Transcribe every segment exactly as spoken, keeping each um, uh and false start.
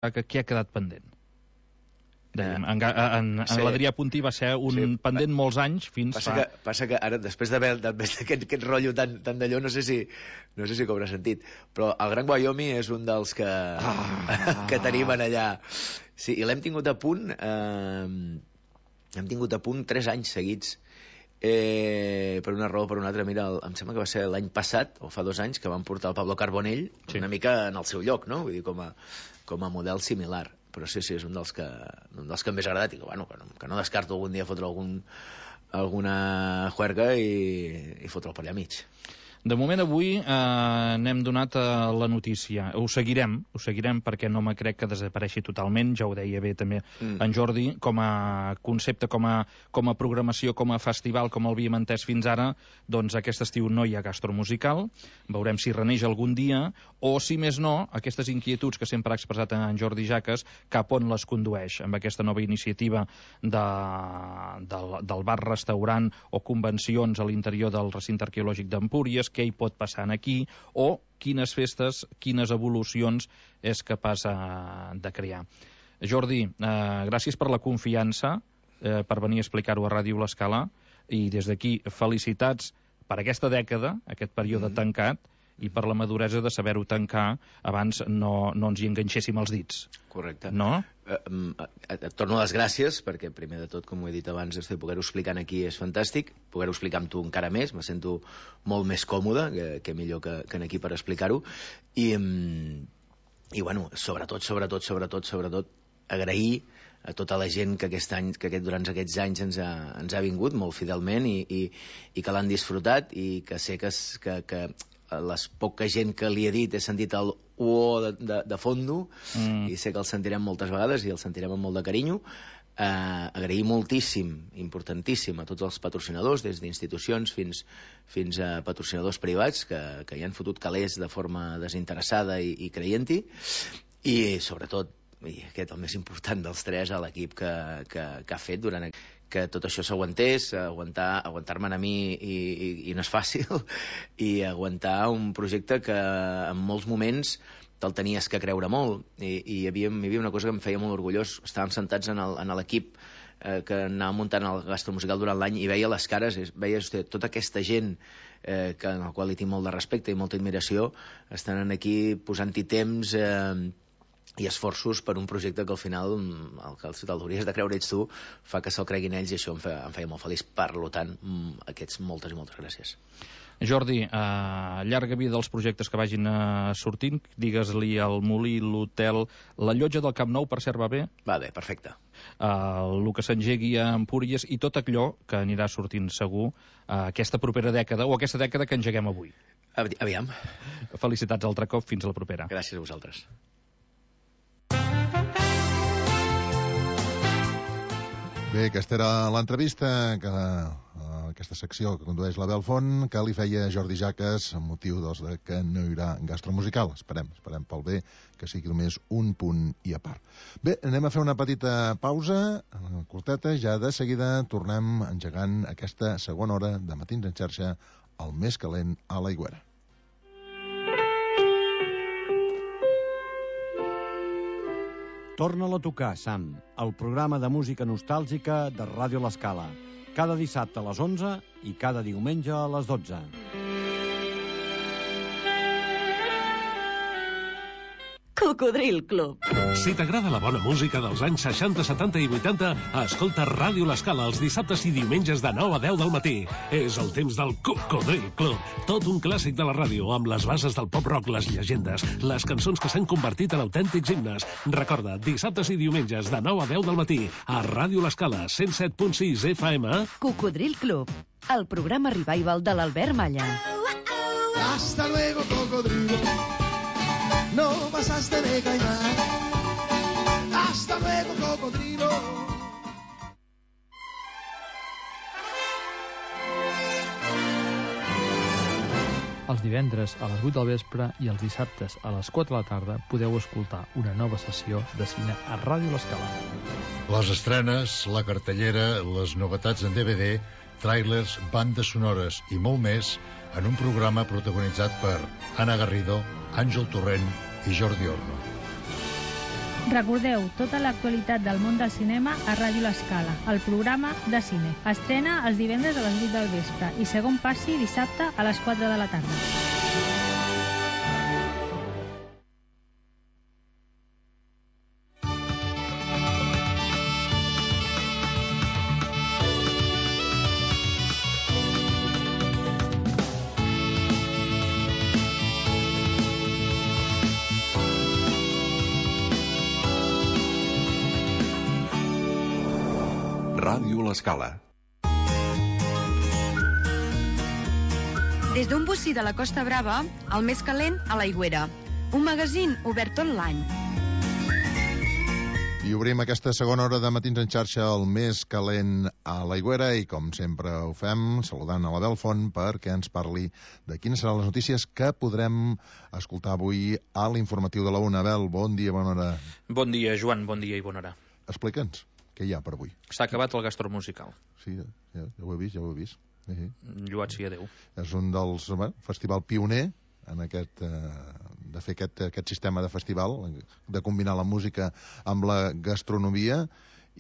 que què ha quedat pendent? Dèiem, en, en, en sí. l'Adrià Puntí va ser un sí. pendent molts anys fins passa fa... Que, passa que ara, després d'haver aquest, aquest rotllo tan, tan d'allò, no sé si no sé si cobra sentit, però el Gran Wyoming és un dels que, ah. que tenim en allà. Sí, i l'hem tingut a punt, eh, hem tingut a punt tres anys seguits, eh, per una raó o per una altra. Mira, el, em sembla que va ser l'any passat, o fa dos anys, que van portar el Pablo Carbonell sí. una mica en el seu lloc, no? Vull dir, com a, com a model similar. Però sí, sí, és un dels que, un dels que em més ha agradat i que, bueno, que, no, que no descarto algun dia fotre algun, alguna juerga i, i fotre el per allà mig. De moment avui eh, n'hem donat eh, la notícia. Ho seguirem, ho seguirem perquè no me crec que desapareixi totalment, ja ho deia bé també mm. en Jordi, com a concepte, com a, com a programació, com a festival, com el havíem entès fins ara, doncs aquest estiu no hi ha gastromusical, veurem si reneix algun dia, o si més no, aquestes inquietuds que sempre ha expressat en Jordi Jaques, cap on les condueix, amb aquesta nova iniciativa de, del, del bar-restaurant o convencions a l'interior del recinte arqueològic d'Empúries, què hi pot passar aquí, o quines festes, quines evolucions és capaç de crear. Jordi, eh, gràcies per la confiança, eh, per venir a explicar-ho a Ràdio L'Escala, i des d'aquí felicitats per aquesta dècada, aquest període mm. tancat, i per la maduresa de saber-ho tancar abans no, no ens hi enganxéssim els dits. Correcte. No? Eh, eh, et torno les gràcies, perquè primer de tot, com ho he dit abans, poder-ho explicar aquí és fantàstic, poder-ho explicar amb tu encara més, me sento molt més còmode, que, que millor que, que aquí per explicar-ho, i, i bueno, sobretot, sobretot, sobretot, sobretot, agrair a tota la gent que aquest any, que aquest, durant aquests anys ens ha, ens ha vingut molt fidelment i, i, i que l'han disfrutat, i que sé que, que, que les poca gent que li he dit he sentit el uo de, de, de fondo mm. i sé que el sentirem moltes vegades i el sentirem amb molt de carinyo. Eh, agrair moltíssim, importantíssim, a tots els patrocinadors, des d'institucions fins, fins a patrocinadors privats que, que hi han fotut calés de forma desinteressada i, i creient-hi, i sobretot, i aquest el més important dels tres, a l'equip que, que, que ha fet durant que tot això s'aguantés, aguantar, aguantar-me a mi i, i, i no és fàcil, i aguantar un projecte que en molts moments te'l tenies que creure molt, i, i hi, havia, hi havia una cosa que em feia molt orgullós. Estàvem sentats en l'equip eh, que anava muntant el gastromusical durant l'any i veia les cares, veies tota aquesta gent eh, que, en la qual hi tinc molt de respecte i molta admiració, estan aquí posant-hi temps eh, i esforços per un projecte que al final el que t'hauries de creure ets tu, fa que se'l creguin ells, i això em feia, em feia molt feliç. Per tant, aquests moltes i moltes gràcies. Jordi, eh, llarga vida dels projectes que vagin eh, sortint, digues-li al Molí, l'hotel, la llotja del Camp Nou, per cert, va bé? Va bé, perfecte. Eh, el que s'engegui a Empúries i tot allò que anirà sortint segur eh, aquesta propera dècada, o aquesta dècada que engeguem avui. Aviam. Felicitats altre cop, fins a la propera. Gràcies a vosaltres. Bé, aquesta era l'entrevista, que, uh, aquesta secció que condueix la Belfont, que li feia Jordi Jaques amb motiu doncs, de que no hi haurà gastromusical. Esperem, esperem pel bé que sigui només un punt i a part. Bé, anem a fer una petita pausa, curteta, ja de seguida tornem engegant aquesta segona hora de Matins en xarxa, el més calent a l'Aigüera. Torna-la a tocar, Sam, el programa de música nostàlgica de Ràdio L'Escala. Cada dissabte a les onze i cada diumenge a les dotze. Cocodril Club. Si t'agrada la bona música dels anys seixanta, setanta i vuitanta, escolta Ràdio L'Escala els dissabtes i diumenges de nou a deu del matí. És el temps del Cocodril Club. Tot un clàssic de la ràdio, amb les bases del pop-rock, les llegendes, les cançons que s'han convertit en autèntics himnes. Recorda, dissabtes i diumenges de nou a deu del matí, a Ràdio L'Escala, cent set punt sis F M. Cocodril Club, el programa revival de l'Albert Malla. Hasta luego, cocodrilo. No pasaste de caimán. Hasta luego, cocodrilo. Els divendres a les vuit del vespre i els dissabtes a les quatre de la tarda podeu escoltar una nova sessió de cine a Ràdio L'Escala. Les estrenes, la cartellera, les novetats en D V D, tràilers, bandes sonores i molt més en un programa protagonitzat per Anna Garrido, Àngel Torrent i Jordi Orno. Recordeu tota l'actualitat del món del cinema a Ràdio L'Escala, el programa de cine. Estrena els divendres a les vuit del vespre i segon passi dissabte a les quatre de la tarda. Ràdio L'Escala. Des d'un bocí de la Costa Brava, el més calent a l'Aigüera. Un magazín obert tot l'any. I obrim aquesta segona hora de Matins en xarxa, el més calent a l'Aigüera, i com sempre ho fem, saludant a l'Abel Font perquè ens parli de quines seran les notícies que podrem escoltar avui a l'informatiu de la UNA. Abel, bon dia, bona hora. Bon dia, Joan, bon dia i bona hora. Explica'ns. Què hi ha per avui? S'ha acabat el gastromusical. Sí, ja, ja ho he vist, ja ho he vist. Sí, sí. Lloat sia Déu. És un dels... Bueno, festival pioner en aquest, eh, de fer aquest, aquest sistema de festival, de combinar la música amb la gastronomia,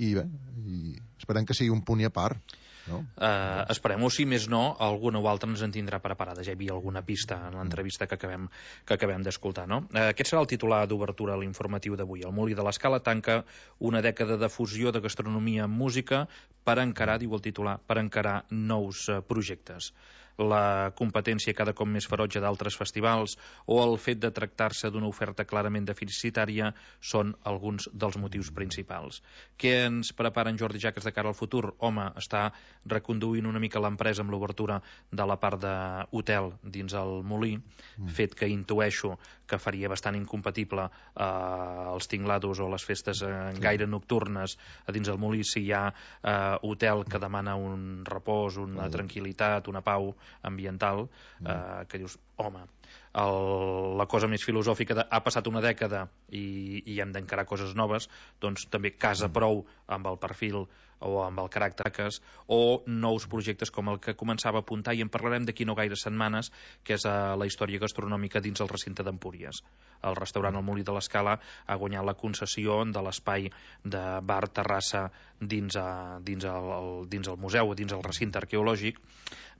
i bé, i esperem que sigui un punt i a part. No? Uh, Esperem-ho, si més no, alguna o altra ens en tindrà preparada. Ja hi havia alguna pista en l'entrevista que acabem, que acabem d'escoltar, no? Uh, aquest serà el titular d'obertura a l'informatiu d'avui. El Molí de l'Escala tanca una dècada de fusió de gastronomia amb música per encarar, diu el titular, per encarar nous uh, projectes. La competència cada cop més ferotge d'altres festivals o el fet de tractar-se d'una oferta clarament deficitària són alguns dels motius principals. Què ens prepara en Jordi Jaques de cara al futur? Home, està reconduint una mica l'empresa amb l'obertura de la part d'hotel dins el Molí, mm. fet que intueixo que faria bastant incompatible eh, els tinglados o les festes eh, sí. gaire nocturnes a dins el Molí si hi ha eh, hotel que demana un repòs, una mm. tranquil·litat, una pau ambiental, eh, que dius, home, el, la cosa més filosòfica de, ha passat una dècada i, i hem d'encarar coses noves, doncs també casa prou amb el perfil o amb el caràcter o nous projectes com el que començava a apuntar, i en parlarem d'aquí no gaire setmanes, que és uh, la història gastronòmica dins el recinte d'Empúries. El restaurant El Molí de l'Escala ha guanyat la concessió de l'espai de bar terrassa dins, a, dins, el, el, dins el museu, dins el recinte arqueològic.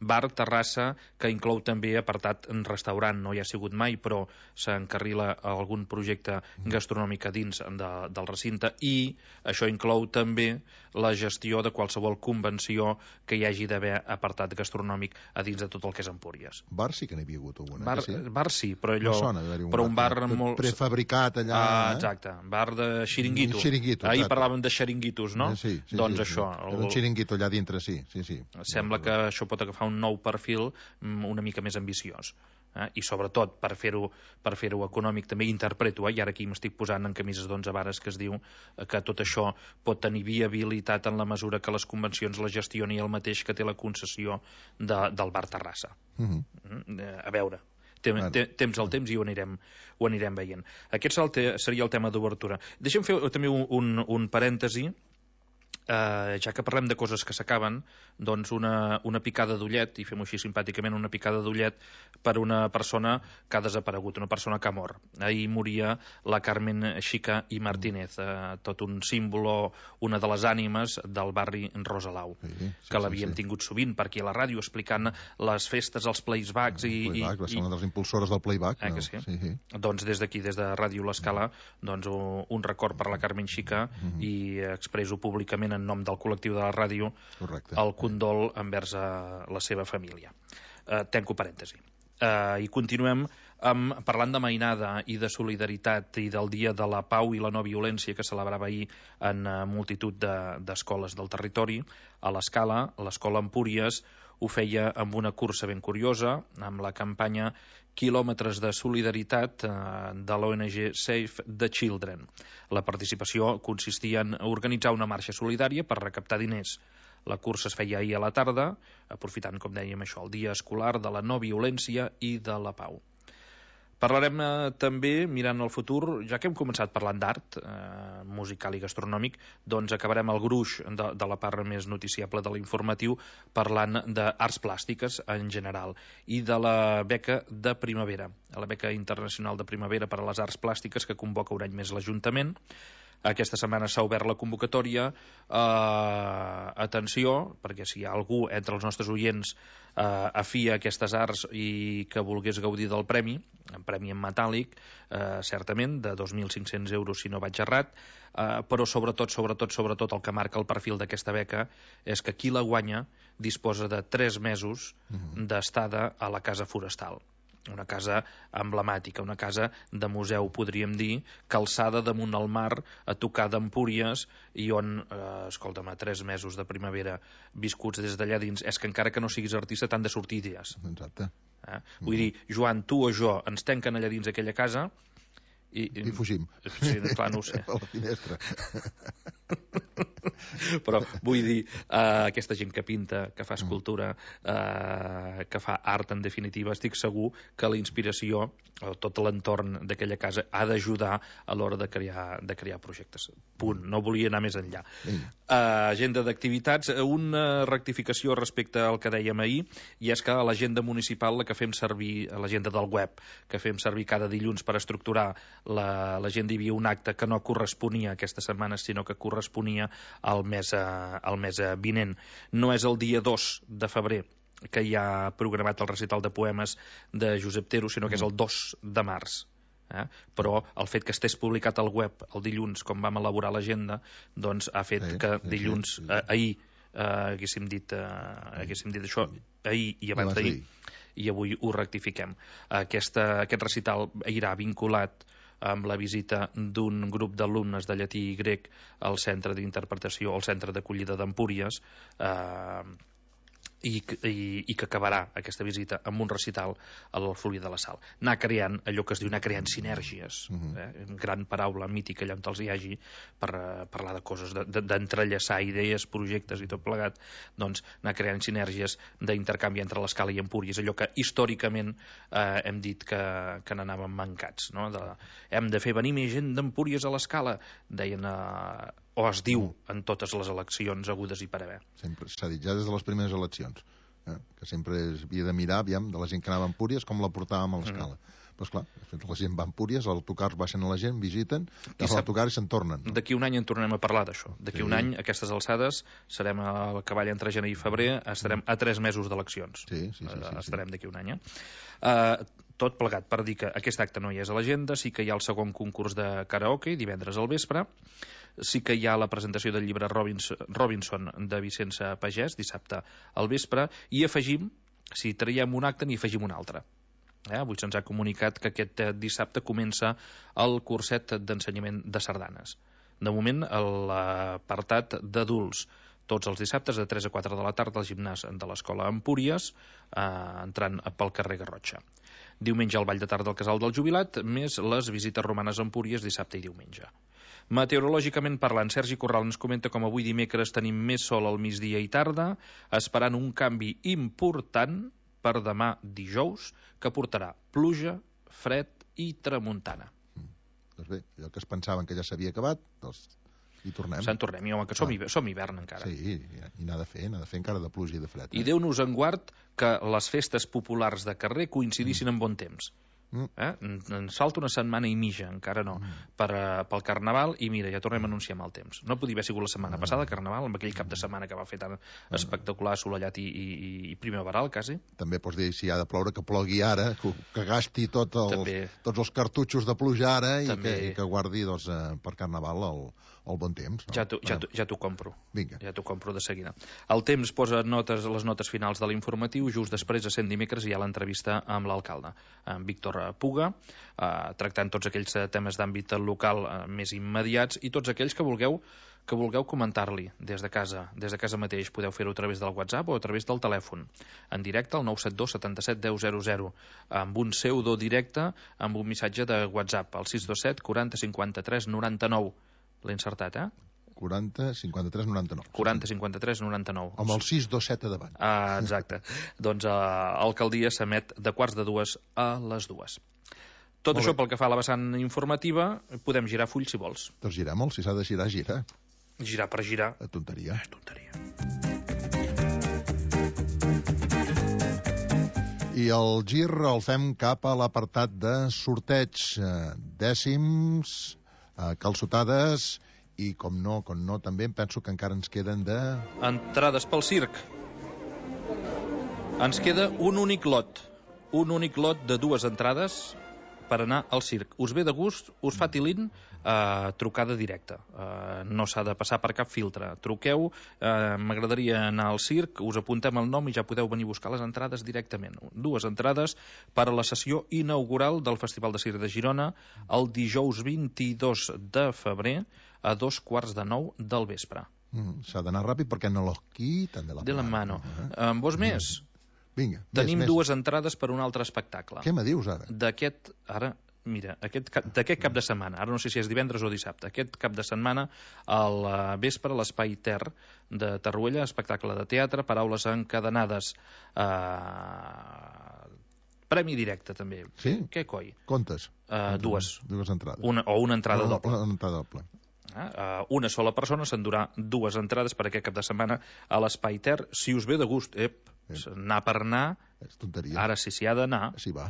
Bar terrassa que inclou també apartat en restaurant, no hi ha sigut mai, però s'encarrila algun projecte gastronòmic a dins de, del recinte, i això inclou també la gestió de qualsevol convenció que hi hagi d'haver apartat gastronòmic a dins de tot el que és Empúries. Bar sí que n'hi havia hagut alguna. Bar sí? bar sí, però allò... No sona, un però un bar, bar molt... prefabricat allà... Ah, exacte, bar de xiringuito. Xiringuito, Ahir exacte. parlàvem de xiringuitos, no? Sí, sí, doncs sí, això... Sí. El... Un xiringuito allà dintre, sí, sí, sí. Sembla que això pot agafar un nou perfil una mica més ambiciós. Eh? I sobretot per fer-ho per fer-ho econòmic també interpreto, eh? I ara aquí m'estic posant en camises d'onze vares, que es diu que tot això pot tenir viabilitat en la mesura que les convencions la gestioni el mateix que té la concessió de, del bar terrassa. Uh-huh. eh, a veure, Tem, te, temps al temps i ho anirem, ho anirem veient. Aquest seria el tema d'obertura. Deixem fer també un, un, un parèntesi. Uh, ja que parlem de coses que s'acaben, doncs una, una picada d'ullet, i fem-ho així simpàticament, una picada d'ullet per una persona que ha desaparegut, una persona que ha mort. Ahir moria la Carmen Xica i Martínez, uh, tot un símbolo, una de les ànimes del barri Rosalau, sí, sí, que l'havíem sí, sí. tingut sovint per aquí a la ràdio explicant les festes, els playbacks i... El playback, i, va ser una de les impulsores del playback. Eh, no? que sí? Sí, sí. Doncs des d'aquí, des de Ràdio L'Escala, doncs un record per la Carmen Xica, uh-huh. i expresso públicament en nom del col·lectiu de la ràdio Correcte. El condol envers a la seva família. Uh, tanco parèntesi. Uh, I continuem amb, parlant de mainada i de solidaritat i del Dia de la Pau i la No Violència que celebrava ahir en uh, multitud d'escoles de, del territori. A l'Escala, l'escola Empúries ho feia amb una cursa ben curiosa, amb la campanya Quilòmetres de Solidaritat eh, de l'O N G Save the Children. La participació consistia en organitzar una marxa solidària per recaptar diners. La cursa es feia ahir a la tarda, aprofitant, com dèiem, això, el dia escolar de la no violència i de la pau. Parlarem eh, també, mirant el futur, ja que hem començat parlant d'art eh, musical i gastronòmic, doncs acabarem el gruix de, de la part més noticiable de l'informatiu parlant d'arts plàstiques en general i de la beca de primavera, la beca internacional de primavera per a les arts plàstiques que convoca un any més l'Ajuntament. aquesta setmana s'ha obert la convocatòria. Uh, atenció, perquè si hi ha algú entre els nostres oients uh, afí a aquestes arts i que volgués gaudir del premi, un premi en metàl·lic, uh, certament, de dos mil cinc-cents euros si no vaig errat, uh, però sobretot, sobretot, sobretot el que marca el perfil d'aquesta beca és que qui la guanya disposa de tres mesos uh-huh. d'estada a la Casa Forestal. Una casa emblemàtica, una casa de museu, podríem dir, calçada damunt el mar, a tocar d'Empúries, i on, eh, escolta'm, a tres mesos de primavera viscuts des d'allà dins, és que encara que no siguis artista t'han de sortir idees. Exacte. Eh? Vull mm. dir, Joan, tu o jo ens tanquen allà dins aquella casa i... I fugim. Sí, clar, no ho sé. A la finestra. Però vull dir, uh, aquesta gent que pinta, que fa escultura, uh, que fa art, en definitiva, estic segur que la inspiració, o tot l'entorn d'aquella casa, ha d'ajudar a l'hora de crear, de crear projectes. Punt. No volia anar més enllà. Uh, agenda d'activitats, una rectificació respecte al que dèiem ahir, i és que a l'agenda municipal, la que fem servir, a l'agenda del web, que fem servir cada dilluns per estructurar l'agenda, hi havia un acte que no corresponia aquesta setmana, sinó que corresponia al mes, al mes vinent. No és el dia dos de febrer que hi ha programat el recital de poemes de Josep Tero, sinó que és el dos de març. Eh? Però el fet que estés publicat al web el dilluns, com vam elaborar l'agenda, doncs ha fet sí, que dilluns, sí, sí, sí. Eh, ahir, eh, haguéssim, dit, eh, haguéssim dit això, ahir i abans d'ahir, i avui ho rectifiquem. Aquesta, aquest recital irà vinculat amb la visita d'un grup d'alumnes de llatí i grec al centre d'interpretació, al centre d'acollida d'Empúries, eh, i, i, i que acabarà aquesta visita amb un recital a l'Alfolí de la Sal. Anar creant allò que es diu, anar creant sinergies, eh? Gran paraula mítica allà on els hi hagi per uh, parlar de coses, d'entrellaçar de, idees, projectes i tot plegat, doncs anar creant sinergies d'intercanvi entre l'Escala i Empúries, allò que històricament eh, hem dit que, que n'anàvem mancats, no? De, hem de fer venir més gent d'Empúries a l'Escala, deien eh, o es diu en totes les eleccions hagudes i per haver. Sempre s'ha dit ja des de les primeres eleccions, eh? que sempre es havia de mirar, aviam, de la gent que anava a Empúries, com la portàvem a l'Escala. Mm. Però esclar, la gent va a Empúries, els autocars baixen a la gent, visiten, I a l'autocar i se'n tornen. No? D'aquí un any en tornem a parlar d'això. D'aquí sí. un any, a aquestes alçades, serem a cavall entre gener i febrer, estarem a tres mesos d'eleccions. Sí, sí, sí, sí, estarem sí. d'aquí un any, eh? Uh, tot plegat per dir que aquest acte no hi és a l'agenda, sí que hi ha el segon concurs de karaoke, divendres al vespre, sí que hi ha la presentació del llibre Robinson, Robinson de Vicenç Pagès, dissabte al vespre, i afegim, si traiem un acte, n'hi afegim un altre. Eh? Avui se'ns ha comunicat que aquest dissabte comença el curset d'ensenyament de sardanes. De moment, l'apartat d'adults, tots els dissabtes de tres a quatre de la tarda al gimnàs de l'Escola Empúries, eh, entrant pel carrer Garrotxa. Diumenge al Ball de Tarda al Casal del Jubilat, més les visites romanes a Empúries dissabte i diumenge. Meteorològicament parlant, Sergi Corral ens comenta com avui dimecres tenim més sol al migdia i tarda, esperant un canvi important per demà dijous, que portarà pluja, fred i tramuntana. Mm. Doncs bé, allò que es pensaven que ja s'havia acabat, doncs hi tornem. Se'n tornem, i home, que som, ah. som hivern encara. Sí, i n'ha de fer, n'ha de fer encara de pluja i de fred. Eh? I Déu-nos en guard que les festes populars de carrer coincidissin mm. en bon temps. Mm. Eh? En salta una setmana i mitja, encara no, mm. per, uh, pel Carnaval, i mira, ja tornem a anunciar amb el temps. No podia haver sigut la setmana mm. passada, Carnaval, amb aquell cap de setmana que va fer tan mm. espectacular, assolellat i, i, i primaveral, quasi. També pots dir, si ha de ploure, que plogui ara, que, que gasti tot els, tots els cartutxos de pluja ara i que, i que guardi doncs, eh, per Carnaval el, el bon temps. No? Ja t'ho ja ja compro. Vinga. Ja t'ho compro de seguida. El temps posa notes, les notes finals de l'informatiu, just després, a cent dimecres, hi ha l'entrevista amb l'alcalde, en Víctor Puga, eh, tractant tots aquells temes d'àmbit local eh, més immediats i tots aquells que vulgueu que vulgueu comentar-li des de casa, des de casa mateix. Podeu fer-ho a través del WhatsApp o a través del telèfon. En directe, al nou set dos setanta-set deu zero zero, amb un pseudo directe, amb un missatge de WhatsApp, al sis dos set quaranta cinquanta-tres noranta-nou. L'he encertat, eh? quaranta cinquanta-tres noranta-nou. quaranta cinquanta-tres noranta-nou. Amb el sis dos set a davant. Ah, exacte. Doncs eh, l'alcaldia s'emet de quarts de dues a les dues. Tot Molt això bé. Pel que fa a la vessant informativa, podem girar full si vols. Doncs girar molt, si s'ha de girar, gira. Girar per girar. A tonteria. A tonteria. I el gir el fem cap a l'apartat de sorteig. Dècims, calçotades i com no, com no, també em penso que encara ens queden de... Entrades pel circ. Ens queda un únic lot. Un únic lot de dues entrades per anar al circ. Us ve de gust, us fa tilín, eh, trucada directa. Eh, no s'ha de passar per cap filtre. Truqueu, eh, m'agradaria anar al circ, us apuntem el nom i ja podeu venir a buscar les entrades directament. Dues entrades per a la sessió inaugural del Festival de Circ de Girona el dijous vint-i-dos de febrer a dos quarts de nou del vespre. Mm, s'ha d'anar ràpid perquè no los quitan de la, de la mano. Eh? En vols més? Vinga, Tenim més, dues més. entrades per un altre espectacle. Què me dius ara? D'aquest, ara, mira, aquest, d'aquest cap de setmana, ara no sé si és divendres o dissabte, aquest cap de setmana, al vespre, a l'Espai Ter de Tarruella, espectacle de teatre, paraules encadenades, eh, premi directe també. Sí? Què coi? Contes? Uh, dues. Dues entrades. Una, o una entrada no, doble. Una entrada doble. Uh, una sola persona s'endurà dues entrades per aquest cap de setmana a l'Espai Ter. Si us ve de gust, ep, anar per anar, és tonteria. Ara sí, s'hi ha d'anar. Sí, va.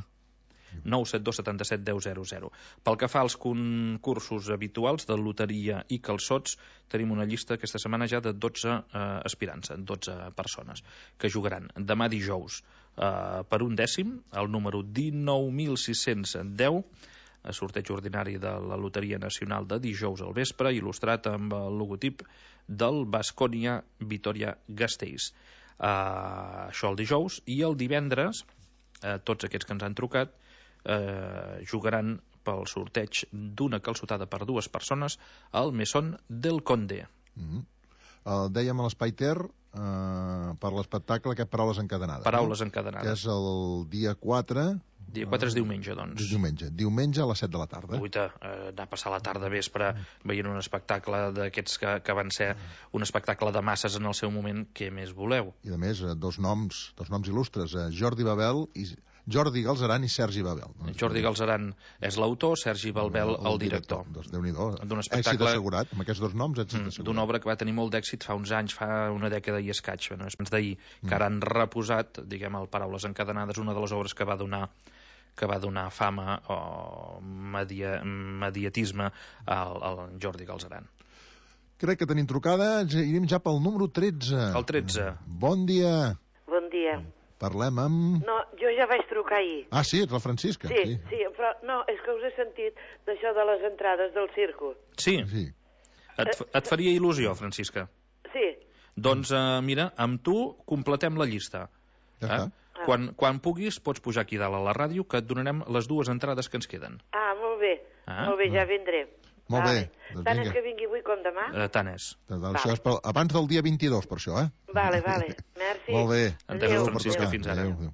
nou set dos setanta set deu zero zero. Pel que fa als concursos habituals de loteria i calçots, tenim una llista aquesta setmana ja de dotze eh, aspirants, dotze persones, que jugaran demà dijous eh, per un dècim, el número dinou mil sis-cents deu, a sorteig ordinari de la Loteria Nacional de dijous al vespre, il·lustrat amb el logotip del Baskonia Vitoria Gasteiz. Uh, això el dijous, i el divendres uh, tots aquests que ens han trucat uh, jugaran pel sorteig d'una calçotada per dues persones al Mesón del Conde. Mm-hmm. El dèiem a l'Espai Ter uh, per l'espectacle aquest Paraules encadenades. Paraules no? encadenades. Que és el dia quatre... Dia quatre és diumenge, doncs. Diumenge. Diumenge a les set de la tarda. Uita, eh, anar a passar la tarda vespre veient un espectacle d'aquests que, que van ser un espectacle de masses en el seu moment, què més voleu? I a més, dos noms, dos noms il·lustres, Jordi Babel i Jordi Galzeran i Sergi Babel. No? Jordi Galzeran és l'autor, Sergi Babel el, el director. Doncs Déu-n'hi-do. D'un espectacle... Èxit assegurat, amb aquests dos noms, èxit assegurat. D'una obra que va tenir molt d'èxit fa uns anys, fa una dècada i escaig, no? És d'ahir, que ara han reposat, diguem, el Paraules encadenades, una de les obres que va donar que va donar fama o media, mediatisme al, al Jordi Galzeran. Crec que tenim trucada, anem ja pel número tretze. El tretze. Bon dia. Bon dia. Parlem amb... No, jo ja vaig trucar ahir. Ah, sí, ets la Francisca. Sí, sí, sí, però no, és que us he sentit d'això de les entrades del circo. Sí? Sí. Et, et faria il·lusió, Francisca? Sí. Doncs, uh, mira, amb tu completem la llista. Ja eh? està. Quan, quan puguis, pots pujar aquí dalt a la ràdio, que et donarem les dues entrades que ens queden. Ah, molt bé. Ah. Molt bé, ja vindré. Molt vale. bé. Doncs tant vinga. és que vingui avui com demà? Eh, tant és. Doncs això és per, abans del dia vint-i-dos, per això, eh? Vale, vale. Merci. Molt bé. Entesos, Francisca, fins ara. Adéu, adéu.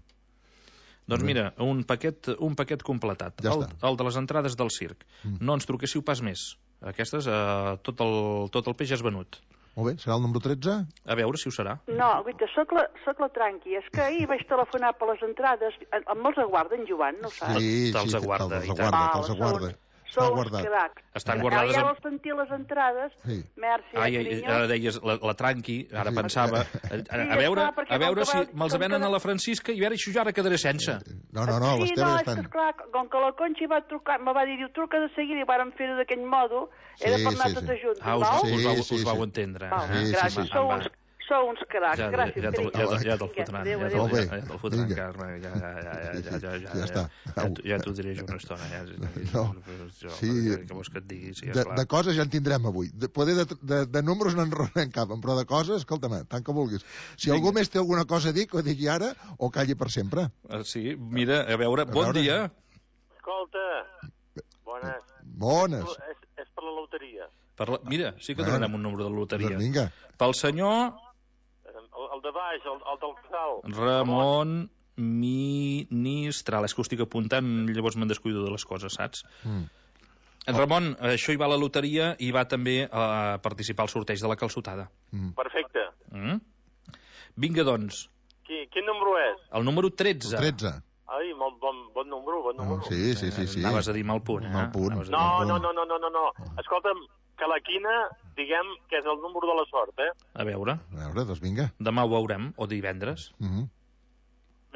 Doncs mira, un paquet, un paquet completat. Ja el, el de les entrades del circ. Mm. No ens truquéssiu pas més. Aquestes, eh, tot, el, tot el peix és venut. Molt bé, serà el número tretze? A veure si ho serà. No, guaita, soc la, soc la Tranqui. És que ahir vaig telefonar per les entrades. Em els aguarden, Joan, no saps? Sí, te'ls sí, aguarda, te'ls aguarda, te'ls aguarda. Sou uns cracs. Estan guardades... Ara ja amb... vols sentir les entrades? Sí. Merci, Ai, ai, carinyo. ara deies la, la Tranqui, ara Sí. pensava... A, a, a veure, esclar, perquè a veure com que si va- me'ls com venen que- a la Francisca i a veure si jo ara quedaré sense. No, no, no, les Sí, no, teves és que estan... esclar, com que la Conxi va trucar, me va dir, diu, truca de seguida i vàrem fer-ho d'aquell modo, era Sí, per anar sí, tots sí. junts, Ah, us, val? Sí, us, vau, sí, us vau sí. entendre. Val, Sí, sí, gràcies, sí. sou Va. uns, sou uns cracs, Ja, gràcies, ja, te'l- carinyo. ja, te'l- ja te'l Vinga, fotran, adéu, ja adéu. Molt bé. te'l ja te'l fotran, Vinga. Carme, ja, ja, ja, ja, ja, ja, Ja està. ja, t'ho- ja t'ho diré jo una estona. Ja, No. jo, Sí. que vols que et digui, sí, De, esclar. de coses ja en tindrem avui. De, poder de, de, de números no en ronen cap, però de coses, escolta'm, tant que vulguis. Si Vinga. algú més té alguna cosa a dir, que ho digui ara o calli per sempre. Ah, sí, mira, a veure, bon veure. dia. Escolta, bones. Bones. És, és per la loteria. Per la... Mira, sí que Bueno, donarem un número de loteria. Doncs vinga. Pel senyor El, el de baix, el, el del casal. Ramon Ministral. És que ho estic apuntant, llavors me'n descuido de les coses, saps? Mm. En Ramon, això hi va a la loteria i va també a participar al sorteig de la calçotada. Mm. Perfecte. Mm? Vinga, doncs, Qui, quin número és? el número tretze. El tretze. Ai, molt bon, bon número, bon número. Oh, sí, sí, sí, sí. Anaves a dir mal punt, eh? Mal punt. Anaves a dir No, mal no, punt. no, no, no, no, no. Escolta'm, que la quina, diguem que és el número de la sort, eh? A veure, A veure, doncs vinga. demà ho veurem, o divendres. Mm -hmm.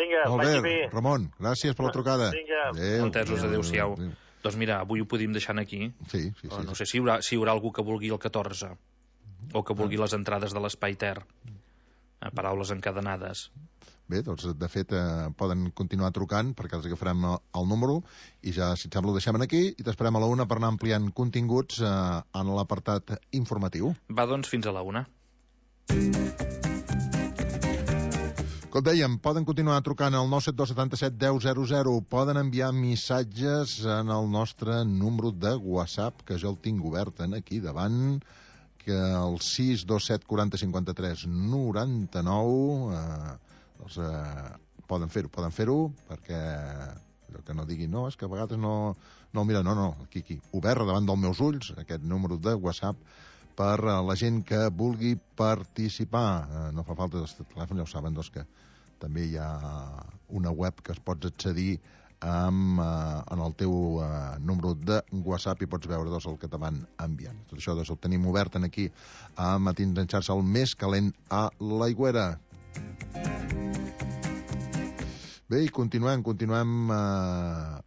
Vinga, Molt vagi bé, bé. Ramon, gràcies per la trucada. Vinga. Adéu. Entesos, adéu-siau. Adéu. Doncs mira, avui ho podíem deixar aquí. Sí, sí, sí. No sé si hi haurà, si hi haurà algú que vulgui el catorze, o que vulgui les entrades de l'Espai Ter. Paraules encadenades. Bé, doncs, de fet, eh, poden continuar trucant, perquè els agafarem el número, i ja, si et sembla, ho deixem aquí, i t'esperem a la una per anar ampliant continguts eh, en l'apartat informatiu. Va, doncs, fins a la una. Com dèiem, poden continuar trucant al nou set dos set set deu zero zero, poden enviar missatges en el nostre número de WhatsApp, que jo el tinc obert aquí davant, que el sis dos set quatre cinc tres nou nou, eh, doncs eh, poden fer-ho, poden fer-ho, perquè allò que no diguin, no, és que a vegades no, no mira, no, no, aquí, aquí, obert davant dels meus ulls, aquest número de WhatsApp, per a la gent que vulgui participar. Eh, no fa falta els telèfons, ja ho saben, doncs que també hi ha una web que es pots accedir amb, eh, en el teu eh, número de WhatsApp i pots veure doncs, el que te van enviant. Tot això doncs, ho tenim obert aquí a Matins en xarxa, el més calent a l'Aigüera. Bé, i continuem, continuem eh,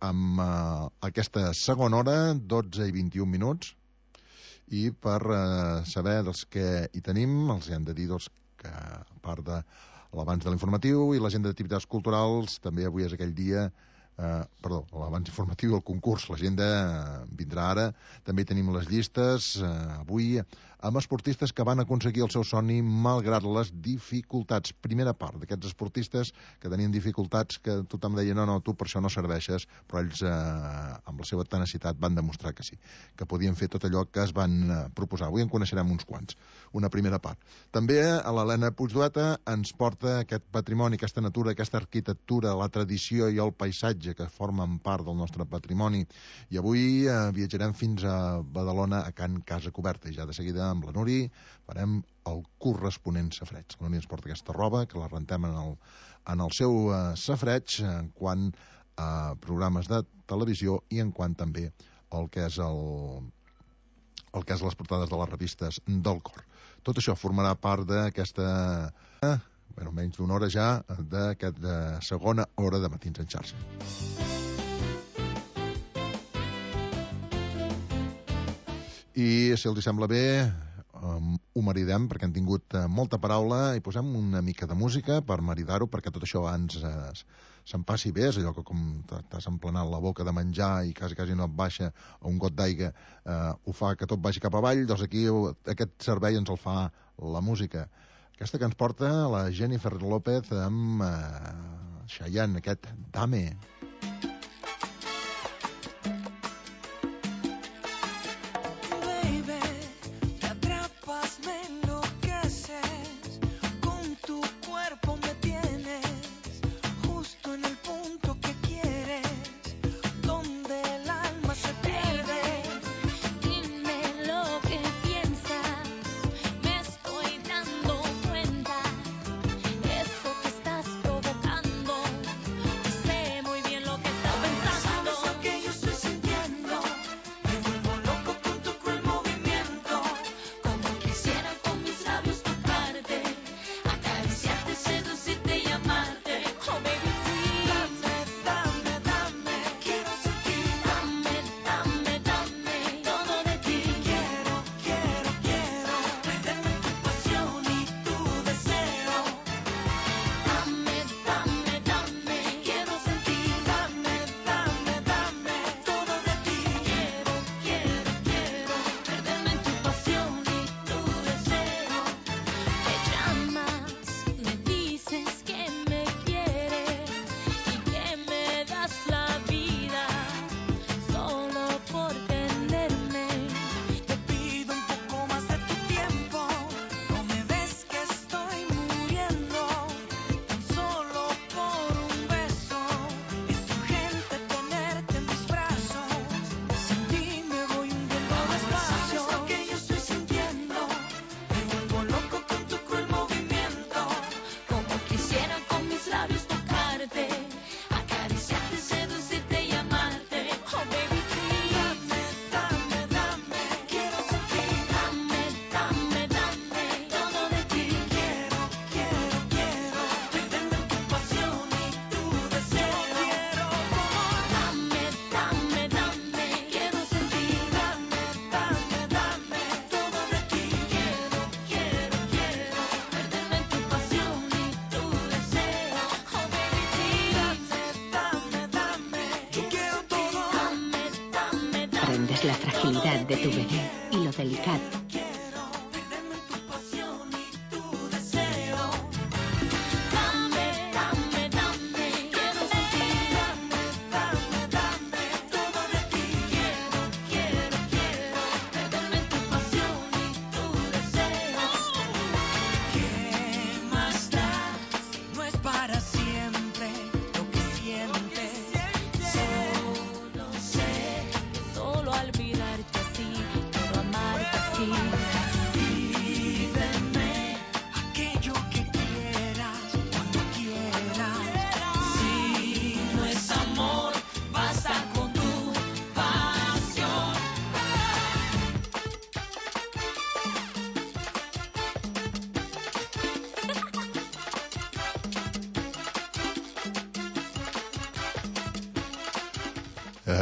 amb eh, aquesta segona hora, dotze i vint-i-un minuts, i per eh, saber dels que hi tenim, els hem de dir doncs, que a part de l'abans de l'informatiu i l'agenda d'activitats culturals, també avui és aquell dia, eh, perdó, l'abans informatiu i el concurs, l'agenda eh, vindrà ara, també tenim les llistes, eh, avui, amb esportistes que van aconseguir el seu somni malgrat les dificultats. Primera part d'aquests esportistes que tenien dificultats, que tothom deia, no, no, tu per això no serveixes, però ells, eh, amb la seva tenacitat, van demostrar que sí, que podien fer tot allò que es van eh, proposar. Avui en coneixerem uns quants. Una primera part. També a l'Helena Puigdueta ens porta aquest patrimoni, aquesta natura, aquesta arquitectura, la tradició i el paisatge que formen part del nostre patrimoni. I avui eh, viatjarem fins a Badalona, a Can Casa Coberta, i ja de seguida amb la Nuri farem el corresponent safreig. La Nuri ens porta aquesta roba, que la rentem en el, en el seu eh, safreig, en quant a programes de televisió i en quant també el que és el, el que és les portades de les revistes del cor. Tot això formarà part d'aquesta, eh, bueno, menys d'una hora ja, d'aquesta segona hora de Matins en xarxa. I, si els sembla bé, um, ho maridem, perquè han tingut uh, molta paraula, i posem una mica de música per maridar-ho, perquè tot això abans uh, se'n passi bé, és allò que com t'has emplenat la boca de menjar i quasi, quasi no et baixa un got d'aigua, uh, ho fa que tot vagi cap avall, doncs aquí aquest servei ens el fa la música. Aquesta que ens porta la Jennifer López amb uh, Chayanne, aquest Dame. Muy bien entiendes la fragilidad de tu bebé y lo delicado.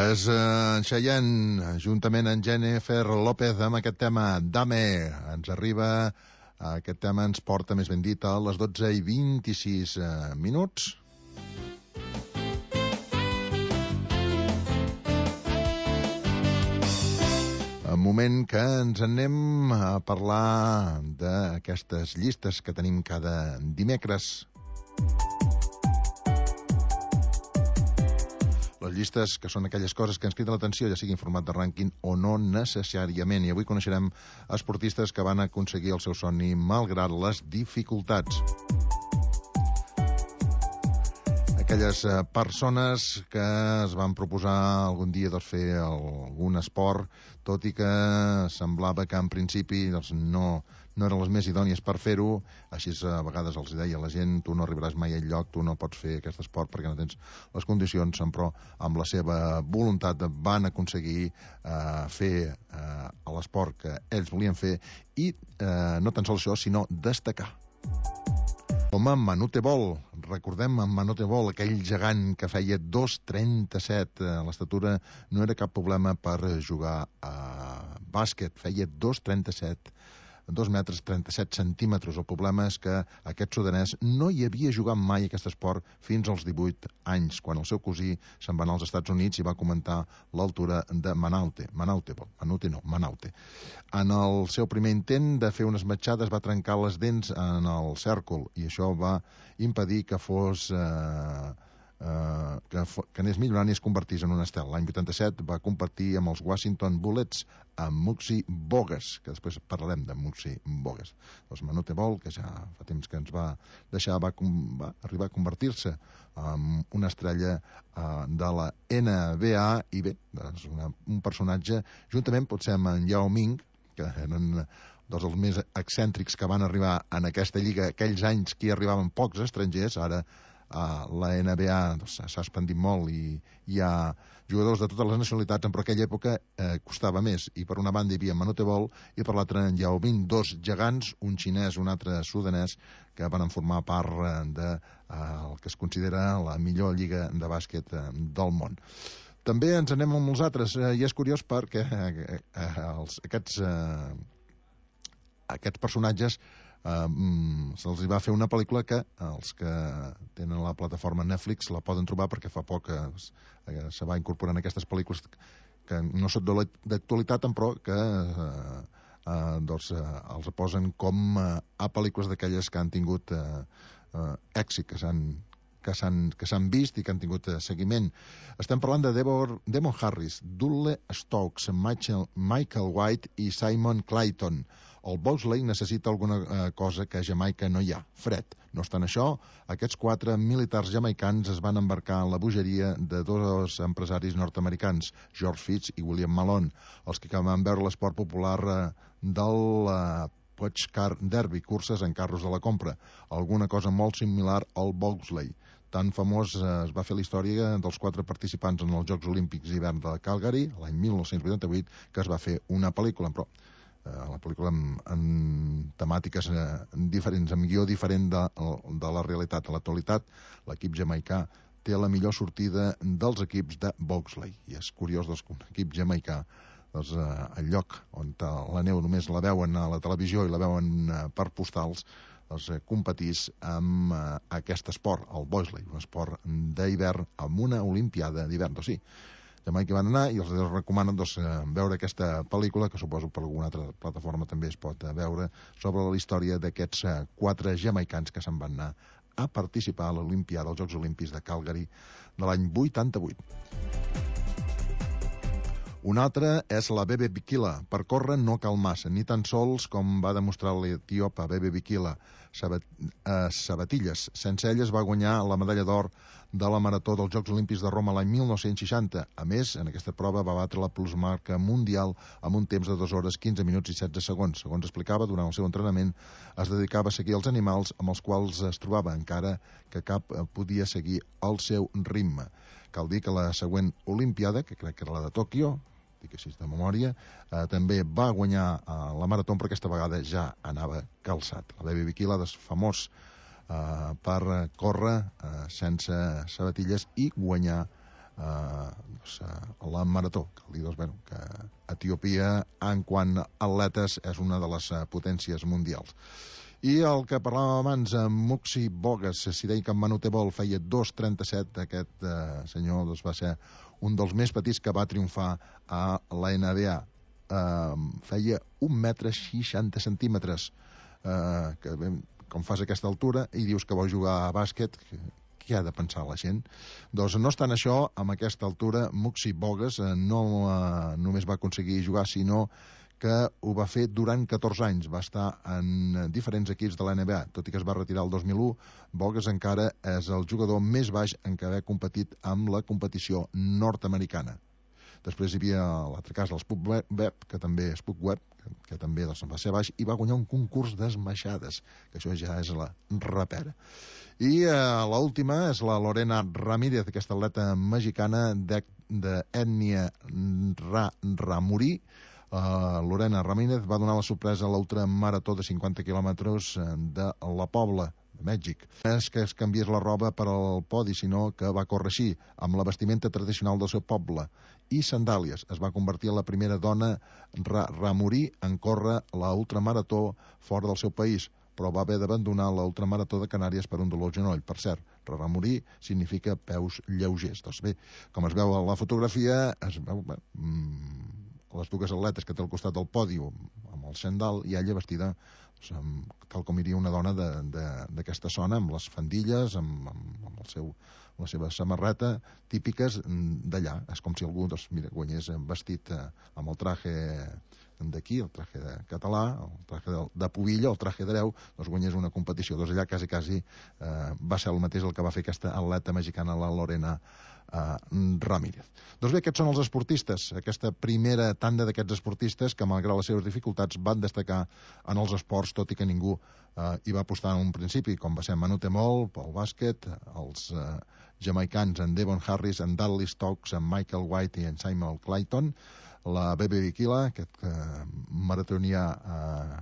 És en Cheyenne, juntament amb Jennifer López, amb aquest tema Dame. Ens arriba, aquest tema ens porta, més ben dit, a les dotze i vint-i-sis minuts. Un moment que ens anem a parlar d'aquestes llistes que tenim cada dimecres. Les llistes que són aquelles coses que ens criden l'atenció, ja sigui en format de rànquing o no necessàriament. I avui coneixerem esportistes que van aconseguir el seu somni malgrat les dificultats. Aquelles persones que es van proposar algun dia doncs, fer algun esport, tot i que semblava que en principi doncs, no, no eren les més idònies per fer-ho. Així a vegades els deia la gent, tu no arribaràs mai al lloc, tu no pots fer aquest esport perquè no tens les condicions, però amb la seva voluntat van aconseguir eh, fer eh, l'esport que ells volien fer i eh, no tan sols això, sinó destacar. Com a Manute Bol, recordem en Manute Bol, aquell gegant que feia dos coma trenta-set, l'estatura no era cap problema per jugar a bàsquet, feia dos coma trenta-set, dos metres trenta-set centímetres. El problema és que aquest sudanès no hi havia jugat mai aquest esport fins als divuit anys, quan el seu cosí se'n va anar als Estats Units i va comentar l'altura de Manute, Manute Bol, Manute no, Manute. En el seu primer intent de fer unes matxades va trencar les dents en el cèrcol i això va impedir que fos... Eh, Uh, que, que anés millorant i es convertís en un estel. L'any vuitanta-set va competir amb els Washington Bullets amb Muggsy Bogues, que després parlarem de Muggsy Bogues. Doncs Manute Bol, que ja fa temps que ens va deixar, va, va arribar a convertir-se en una estrella uh, de la N B A i bé, doncs una, un personatge, juntament potser amb en Yao Ming, que eren dos dels més excèntrics que van arribar en aquesta lliga aquells anys que hi arribaven pocs estrangers. Ara Uh, la N B A s'ha doncs, expandit molt i hi ha jugadors de totes les nacionalitats, però en aquella època eh, costava més, i per una banda hi havia Manute Bol i per l'altra en Yao Ming, dos gegants, un xinès, un altre sudanès, que van formar part de uh, el que es considera la millor lliga de bàsquet uh, del món. També ens anem amb els altres, uh, i és curiós perquè uh, uh, els, aquests, uh, aquests personatges Uh, mm, se'ls va fer una pel·lícula que els que tenen la plataforma Netflix la poden trobar perquè fa poc uh, se va incorporar en aquestes pel·lícules que no són d'actualitat però que uh, uh, doncs, uh, els posen com uh, a pel·lícules d'aquelles que han tingut uh, uh, èxit, que s'han que s'han que s'han vist i que han tingut uh, seguiment. Estem parlant de Devor, Demon Harris, Dudley Stokes, Michael, Michael White i Simon Clayton. El bobsleigh necessita alguna eh, cosa que a Jamaica no hi ha, fred. No obstant això, aquests quatre militars jamaicans es van embarcar en la bogeria de dos empresaris nord-americans, George Fitz i William Malone, els que van veure l'esport popular eh, del eh, Puig Car Derby, curses en carros de la compra, alguna cosa molt similar al bobsleigh. Tan famós eh, es va fer la història dels quatre participants en els Jocs Olímpics d'hivern de Calgary, l'any mil nou-cents vuitanta-vuit, que es va fer una pel·lícula, però la pel·lícula amb, amb temàtiques eh, diferents, amb guió diferent de, de la realitat. A l'actualitat, l'equip jamaicà té la millor sortida dels equips de bobsleigh. I és curiós doncs, que un equip jamaicà, doncs, eh, el lloc on la neu només la veuen a la televisió i la veuen eh, per postals, doncs, eh, competís amb eh, aquest esport, el bobsleigh, un esport d'hivern amb una olimpiada d'hivern. Doncs sí, demà que van anar, i els recomanen doncs, veure aquesta pel·lícula, que suposo per alguna altra plataforma també es pot veure, sobre la història d'aquests quatre jamaicans que se'n van anar a participar a l'Olimpiada, als Jocs Olímpics de Calgary de l'any vuitanta-vuit. Una altra és la Bebe Bikila. Per córrer no cal massa, ni tan sols com va demostrar l'etíopa Bebe Bikila. Sabat, eh, sabatilles. Sense elles va guanyar la medalla d'or de la marató dels Jocs Olímpics de Roma l'any mil nou-cents seixanta. A més, en aquesta prova va batre la plusmarca mundial amb un temps de dues hores, quinze minuts i setze segons. Segons explicava, durant el seu entrenament es dedicava a seguir els animals amb els quals es trobava, encara que cap podia seguir el seu ritme. Cal dir que la següent Olimpiada, que crec que era la de Tòquio, dic així de memòria, eh, també va guanyar eh, la marató, però aquesta vegada ja anava calçat. La Bebe Bikila és famós eh, per córrer eh, sense sabatilles i guanyar eh, doncs, la marató. Cal dir doncs, bueno, que Etiòpia, en quant a atletes, és una de les potències mundials. I el que parlàvem abans, Muxi Bogues, si deia que en Manutebol feia dos trenta-set, aquest eh, senyor doncs, va ser un dels més petits que va triomfar a la N B A. Eh, feia un metre seixanta centímetres, eh, que ben, com fas aquesta altura i dius que vol jugar a bàsquet, què ha de pensar la gent? Doncs no obstant això, amb aquesta altura, Muxi Bogues eh, no eh, només va aconseguir jugar, sinó que ho va fer durant catorze anys. Va estar en diferents equips de la N B A. Tot i que es va retirar el dos mil u, Bogues encara és el jugador més baix en què haver competit amb la competició nord-americana. Després hi havia l'altre cas, el Spuk Web, que també Spuk Web, que, que també doncs, va ser baix, i va guanyar un concurs d'esmaixades, que això ja és la repera. I eh, l'última és la Lorena Ramírez, aquesta atleta mexicana d'ètnia Ra Ramurí. Uh, Lorena Ramírez va donar la sorpresa a l'ultramarató de cinquanta quilòmetres de la Pobla, de Mèxic. No és que es canviés la roba per al podi, sinó que va córrer així, amb la vestimenta tradicional del seu poble i sandàlies. Es va convertir en la primera dona ra ramurí en córrer la ultramarató fora del seu país, però va haver d'abandonar la ultramarató de Canàries per un dolor al genoll. Per cert, ramurí significa peus lleugers. Doncs bé, com es veu a la fotografia, es veu... Bé, mm, les dues atletes que té al costat del pòdium amb el sandal i ella vestida doncs, amb, tal com iria una dona d'aquesta zona, amb les faldilles, amb, amb, amb, el seu, amb la seva samarreta típiques d'allà. És com si algú doncs, mira, guanyés vestit eh, amb el traje d'aquí, el traje de català, el traje de, de pubilla, el traje d'hereu, doncs guanyés una competició. Doncs allà quasi, quasi eh, va ser el mateix el que va fer aquesta atleta mexicana, la Lorena Uh, Ramírez. Doncs bé, aquests són els esportistes, aquesta primera tanda d'aquests esportistes que, malgrat les seves dificultats, van destacar en els esports, tot i que ningú uh, hi va apostar en un principi, com va ser Manutebol, pel bàsquet, els uh, jamaicans, en Devon Harris, en Dudley Stokes, en Michael White i en Simon Clayton, la Bebe Bikila, aquest uh, maratonià uh,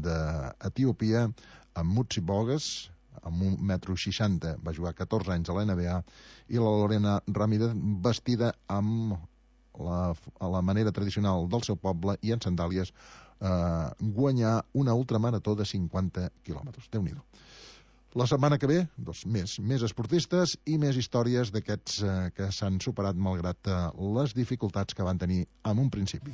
d'Etiòpia, en Muxi Bogues, amb un metro seixanta, va jugar catorze anys a la N B A, i la Lorena Ramírez vestida amb la, a la manera tradicional del seu poble i en sandàlies eh, guanyar una ultramarató de cinquanta quilòmetres. Déu-n'hi-do. La setmana que ve, doncs, més, més esportistes i més històries d'aquests eh, que s'han superat malgrat eh, les dificultats que van tenir en un principi.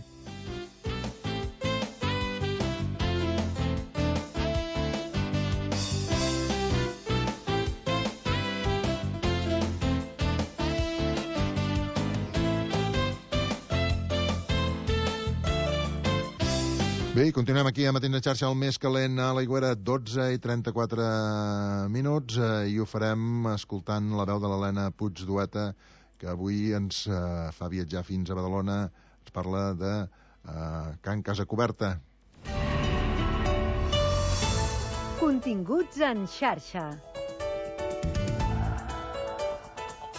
Bé, continuem aquí a Matins de Xarxa, el més calent a l'Aigüera, dotze i trenta-quatre minuts, eh, i ho farem escoltant la veu de l'Helena Puigdueta, que avui ens eh, fa viatjar fins a Badalona, ens parla de eh, Can Casa Coberta. Continguts en xarxa.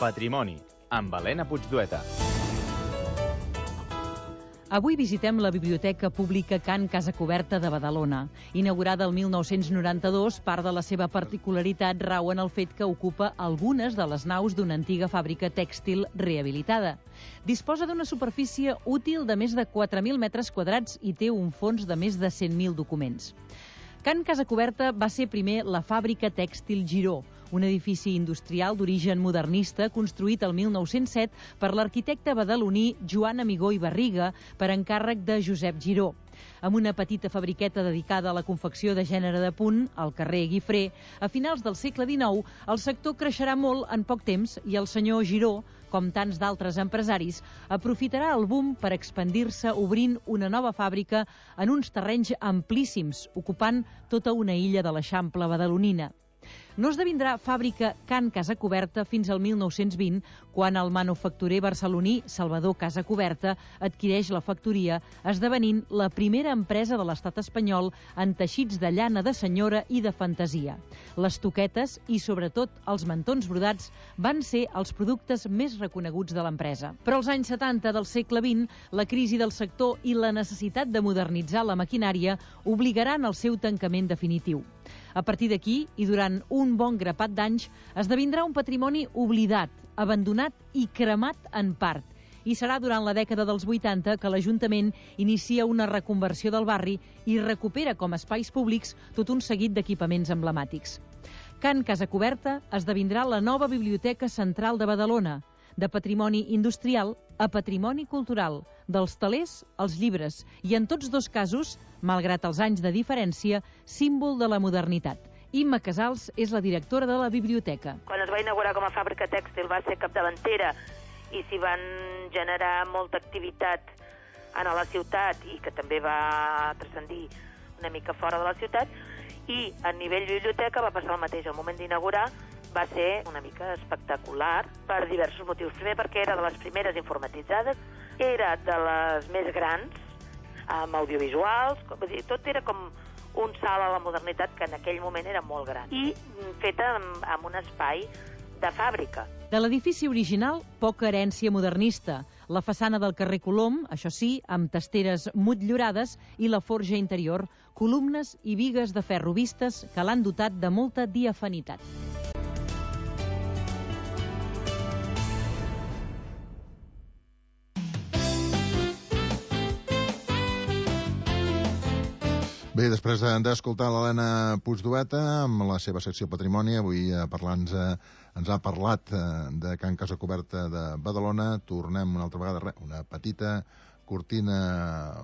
Patrimoni, amb Helena Puigdueta. Avui visitem la Biblioteca Pública Can Casa Coberta de Badalona. Inaugurada el mil nou-cents noranta-dos, part de la seva particularitat rau en el fet que ocupa algunes de les naus d'una antiga fàbrica tèxtil rehabilitada. Disposa d'una superfície útil de més de quatre mil metres quadrats i té un fons de més de cent mil documents. Can Casa Coberta va ser primer la fàbrica tèxtil Giró, un edifici industrial d'origen modernista construït el mil nou-cents set per l'arquitecte badaloní Joan Amigó i Barriga per encàrrec de Josep Giró. Amb una petita fabriqueta dedicada a la confecció de gènere de punt, al carrer Guifré, a finals del segle dinou, el sector creixerà molt en poc temps i el senyor Giró, com tants d'altres empresaris, aprofitarà el boom per expandir-se obrint una nova fàbrica en uns terrenys amplíssims, ocupant tota una illa de l'Eixample badalonina. No esdevindrà fàbrica Can Casacoberta fins al mil nou-cents vint, quan el manufacturer barceloní Salvador Casacoberta adquireix la factoria, esdevenint la primera empresa de l'estat espanyol en teixits de llana de senyora i de fantasia. Les toquetes i, sobretot, els mantons brodats van ser els productes més reconeguts de l'empresa. Però als anys setanta del segle vint, la crisi del sector i la necessitat de modernitzar la maquinària obligaran al seu tancament definitiu. A partir d'aquí, i durant un bon grapat d'anys, esdevindrà un patrimoni oblidat, abandonat i cremat en part. I serà durant la dècada dels vuitanta que l'Ajuntament inicia una reconversió del barri i recupera com a espais públics tot un seguit d'equipaments emblemàtics. Can Casacoberta esdevindrà la nova Biblioteca Central de Badalona, de patrimoni industrial a patrimoni cultural, dels telers als llibres, i en tots dos casos, malgrat els anys de diferència, símbol de la modernitat. Imma Casals és la directora de la biblioteca. Quan es va inaugurar com a fàbrica tèxtil va ser capdavantera i s'hi van generar molta activitat a la ciutat i que també va transcendir una mica fora de la ciutat, i a nivell biblioteca va passar el mateix. Al moment d'inaugurar va ser una mica espectacular per diversos motius. Primer perquè era de les primeres informatitzades, era de les més grans, amb audiovisuals, vull dir, tot era com un salt a la modernitat que en aquell moment era molt gran, i feta amb, amb un espai de fàbrica. De l'edifici original, poca herència modernista. La façana del carrer Colom, això sí, amb testeres motllurades, i la forja interior, columnes i bigues de ferro vistes que l'han dotat de molta diafanitat. Bé, després d'escoltar l'Helena Puigdueta amb la seva secció Patrimoni, avui parlant, ens ha parlat de Can Casacoberta de Badalona. Tornem una altra vegada, una petita cortina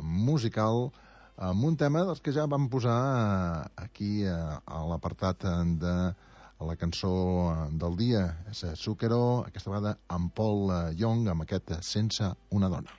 musical amb un tema dels que ja vam posar aquí a l'apartat de la cançó del dia. És Zucchero, aquesta vegada amb Paul Young, amb aquest Sense una dona.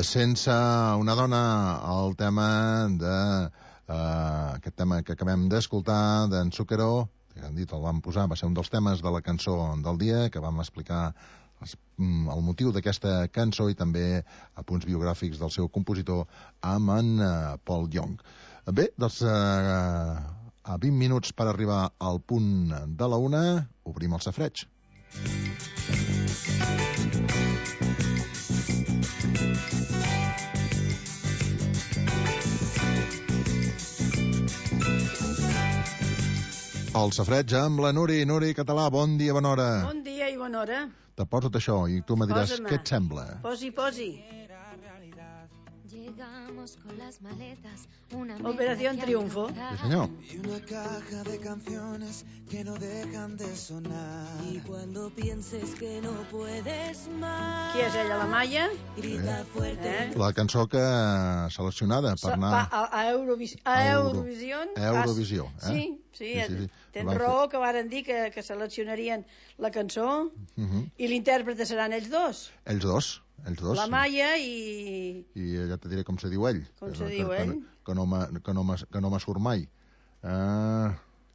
Sense una dona, el tema de uh, aquest tema que acabem d'escoltar d'en Zucchero, que han dit el vam posar, va ser un dels temes de la cançó del dia, que vam explicar el motiu d'aquesta cançó i també a punts biogràfics del seu compositor amb en uh, Paul Young. Bé, doncs uh, a vint minuts per arribar al punt de la una, obrim el safareig. El safreig amb la Nuri. Nuri Català, bon dia, bona hora. Bon dia i bona hora. Te poso tot això i tu me diràs Posa-me. què et sembla. Posi, posi. Operación Triunfo. Sí, senyor. Y una caja de canciones que no dejan de sonar. Y cuando pienses que no puedes más. Qui és ella, la Maia? Grita fuerte. Eh? La cançó que seleccionada per anar Va a, a, Eurovis a Euro- Eurovisió. a Eurovisió, eh? Sí, sí, Sí, sí, sí. tens Van raó que varen dir que, que seleccionarien la cançó Uh -huh. i l'intèrpret seran ells dos. Ells dos, ells dos. La Maia i... I ja te diré com se diu ell. Com que, se que, diu que, ell? Que no me, que no me, que no me surt mai. Uh,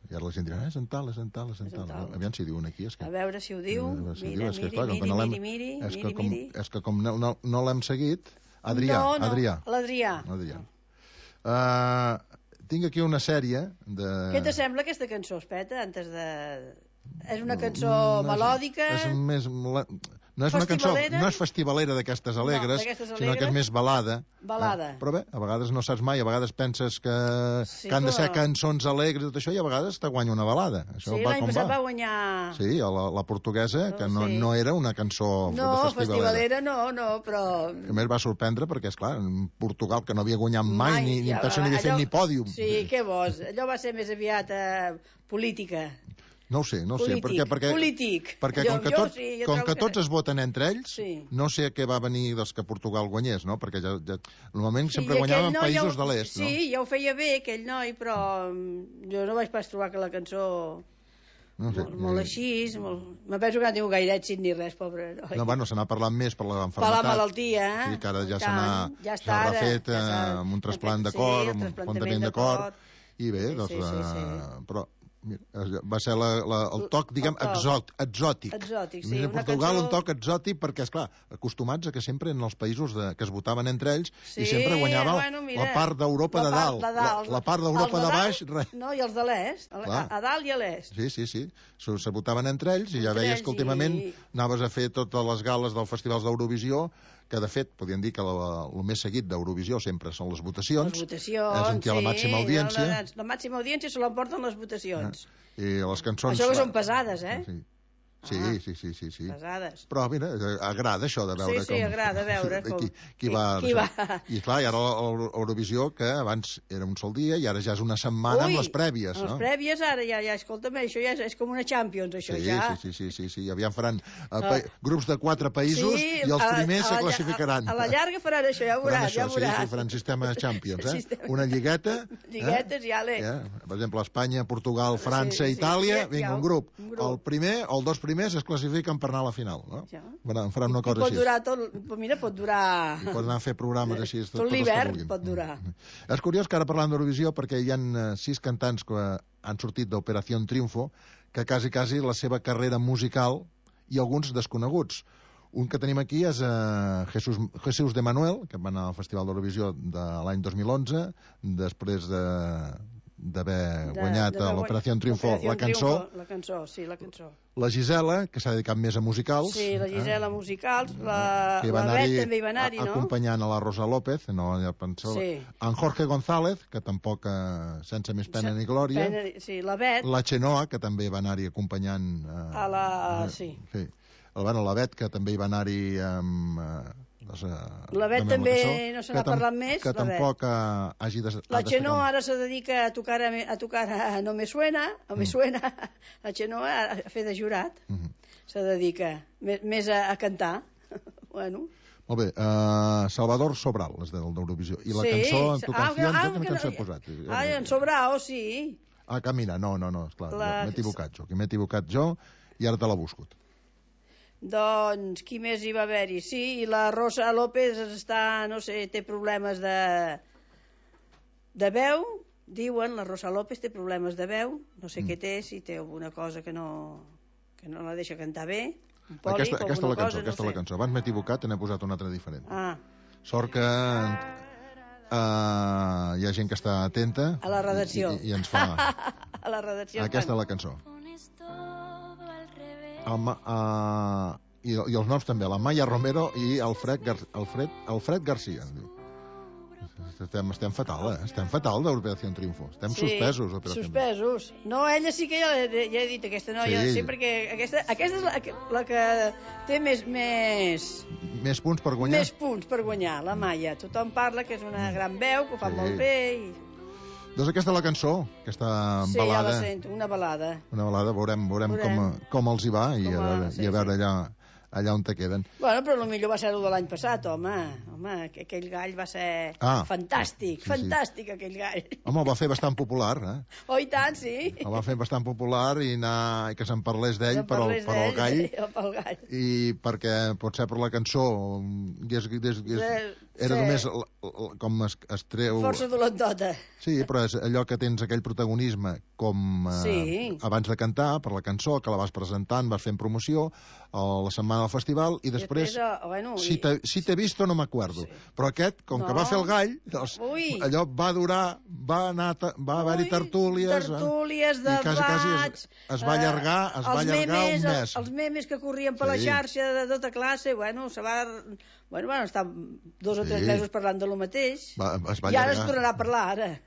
I ara la gent dirà, eh, és en tal, és en tal, és en tal. Aviam si diuen aquí. És que... A veure si ho diu. A veure si Mira, diu, és que, miri, clar, com que miri, no l'hem- miri, miri, és que miri, com, miri. és que com no, no, no l'hem seguit... Adrià, No, no, Adrià. l'Adrià. Adrià. Uh, tinc aquí una sèrie de... Què te sembla aquesta cançó, Espeta, antes de... És una cançó No, no és- melòdica? És més... la- No és una cançó, Festivalera? no és festivalera d'aquestes alegres, d'aquestes sinó que alegres. és més balada. Balada. Eh, però bé, a vegades no saps mai, a vegades penses que, Sí, que han de però- ser cançons alegres i tot això, i a vegades te guanya una balada. Això Sí, va l'any com passat va. va guanyar... Sí, a la, la portuguesa, que no, sí. no era una cançó No, de festivalera. festivalera no, no, però... Que a més va sorprendre perquè, és clar, en Portugal, que no havia guanyat mai, Mai, ni, ni ja, penso ni havia fet allò- ni pòdium. Sí, què vols? Allò va ser més aviat eh, política. No ho sé, no ho sé. Polític, Perquè, perquè, polític. perquè Jo- com, que, jo tot, sí, jo com trobo que que- tots es voten entre ells, Sí. no sé a què va venir dels que Portugal guanyés, no? Perquè ja, ja, normalment Sí, sempre i guanyaven aquell noi països ja ho- de l'est, no? Sí, ja ho feia bé, aquell noi, però mm, jo no vaig pas trobar que la cançó... No, sé, Molt, molt així, molt... me penso que no tinc gaire èxit ni res, pobre noi. no, bueno, se n'ha parlat més per Per l'enfermetat. la malaltia, eh? Sí, que ara ja I se n'ha tant, ja està, s'ha ara, refet ja s'ha- eh, amb un trasplant de sí, cor, el amb un trasplantament plantament de de cor, cor. i bé, Sí, doncs, sí, sí, sí. eh, però mira, va ser la, la, el toc, diguem, El toc. exot, exòtic. Exòtic, sí, Mira, a una Portugal cançó- un toc exòtic perquè, és clar, acostumats a que sempre en els països de, que es votaven entre ells Sí, i sempre guanyava bueno, mira, la part d'Europa la de part dalt. de dalt. La, la part d'Europa Els de dalt, baix, res. No, i els de l'est, a, Clar. a dalt i a l'est. Sí, sí, sí. Se, se votaven entre ells i ja Entre veies ells que últimament i- anaves a fer totes les gales dels festivals d'Eurovisió, que de fet podien dir que el més seguit d'Eurovisió sempre són les votacions. Les votacions, és on hi ha la màxima sí, audiència. La, la màxima audiència se l'emporten les votacions. I les cançons... Això que són pesades, eh? Sí. Sí, Ah. sí, sí, sí, sí. Pesades. Però, mira, eh, agrada això de veure Sí, sí, com... agrada veure com- Qui, qui va... qui això. va. I clar, i ara l'Eurovisió, que abans era un sol dia, i ara ja és una setmana Ui, amb les prèvies, amb no? les prèvies ara ja, ja escolta'm, això ja és, és com una Champions, això Sí, ja. sí, sí, sí, sí, sí. Aviam faran uh, pa Ah. grups de quatre països Sí, i els a la- primers a se la- classificaran. A, a la llarga faran això, ja Faran veuràs, això, ja sí, veuràs. sí, faran sistema Champions, eh? Sistema- Una lligueta... Lliguetes, ja l'he. Eh? Ja. Per exemple, Espanya, Portugal, França, sí, Itàlia, ja- vinga, ja, un grup. un grup. El primer o els dos primers es classifiquen per anar a la final, no? Ja. Faran, faran una I cosa pot així. durar tot, però mira, pot durar... I poden anar a fer programes així. Tot, Tot tot els que l'hivern vulguin. pot durar. És curiós que ara parlant d'Eurovisió, perquè hi ha eh, sis cantants que han sortit d'Operació Triunfo, que quasi, quasi la seva carrera musical i alguns desconeguts. Un que tenim aquí és eh, Jesús, Jesús de Manuel, que va anar al Festival d'Eurovisió de l'any dos mil onze, després de d'haver guanyat a l'Operació Triunfo la cançó. Triunfo, la cançó, sí, la cançó. La Gisela, que s'ha dedicat més a musicals. Sí, la Gisela eh? musicals, la, que la va Bet anar-hi també hi va anar-hi, no? acompanyant a la Rosa López, no, ja pensava. Sí. En Jorge González, que tampoc eh, sense més pena ni glòria. Pena, sí, la Bet. La Xenoa, que també hi va anar-hi acompanyant... Eh, A la... sí. sí. Bueno, la Bet, que també hi va anar-hi amb... Eh, doncs, eh, La Bet amb també cançó, no se que n'ha tam- parlat més, Que la Bet. tampoc eh, hagi de... La ha de Xenoa ser ara se dedica a tocar a, a tocar a No me suena, a me suena. La Xenoa a fer de jurat. Mhm. Se dedica més, més a, a cantar. Bueno. Molt bé, uh, Salvador Sobral, és del d'Eurovisió. I la Sí. cançó, en tu Ah, canción, ah, quina que cançó no- he posat? Ah, en Sobrao, sí. Ah, Camina, no, no, no, esclar, La- m'he equivocat jo, que m'he equivocat jo i ara te la busco. Doncs, qui més hi va haver-hi? Sí, i la Rosa López està, no sé, té problemes de... de veu, diuen, la Rosa López té problemes de veu, no sé mm. què té, si té alguna cosa que no, que no la deixa cantar bé, un pòlic Aquesta, o aquesta alguna la cançó, cosa, aquesta no la sé. cançó. Abans m'he equivocat i n'he posat una altra diferent. Ah, Sort que uh, hi ha gent que està atenta a la redacció. i, i, i ens fa... A la redacció. Aquesta és la cançó. El, Ma- uh, i, I els noms també, la Maya Romero i Alfred, Gar Alfred, Alfred Garcia. Diu. estem, estem fatal, eh? Estem fatal d'Operació Triunfo. Estem Sí, suspesos, Operació Triunfo. suspesos. No, ella sí que ja, ja he dit, aquesta noia, Sí. sí, perquè aquesta, aquesta és la, la que té més, més, Més punts per guanyar? més punts per guanyar, la Maia. Tothom parla que és una gran veu, que ho fa Sí. molt bé. I... Doncs aquesta és la cançó, aquesta Sí, ja balada. la sento, una balada. Una balada, veurem, veurem, Veurem. Com, com els hi va i Com a a- veure, sí, i a veure sí. allà, allà on te queden. Bueno, però potser va ser el de l'any passat, home. Home, que aquell gall va ser Ah, fantàstic, sí, sí. fantàstic, aquell gall. Home, el va fer bastant popular, eh? Oh, i tant, sí. El va fer bastant popular i, anar, i que se'n parlés d'ell Se'n per, al- parlés per al d'ell, gall. pel gall. I perquè potser per la cançó i és, és, és, Sí, era sí. només l- l- com es, es treu... Força dolentota. Sí, però és allò que tens aquell protagonisme com eh, Sí. abans de cantar, per la cançó, que la vas presentant, vas fent promoció a la setmana del festival i després, Després, oh, bueno, si i- t'he si t'he visto no m'acuerdo, sí. Però aquest, com No. que va fer el gall, doncs, Ui. allò va durar, va anar, ta- va haver-hi tertúlies, eh? tertúlies, i debats... quasi, quasi es, es va eh, allargar, es va els allargar memes, un mes. Els, els memes que corrien per la Sí. xarxa de tota classe, bueno, se va... Bueno, bueno, estar dos o tres Sí. mesos parlant de lo mateix. Va, es va I ara es allargar. tornarà a parlar, ara.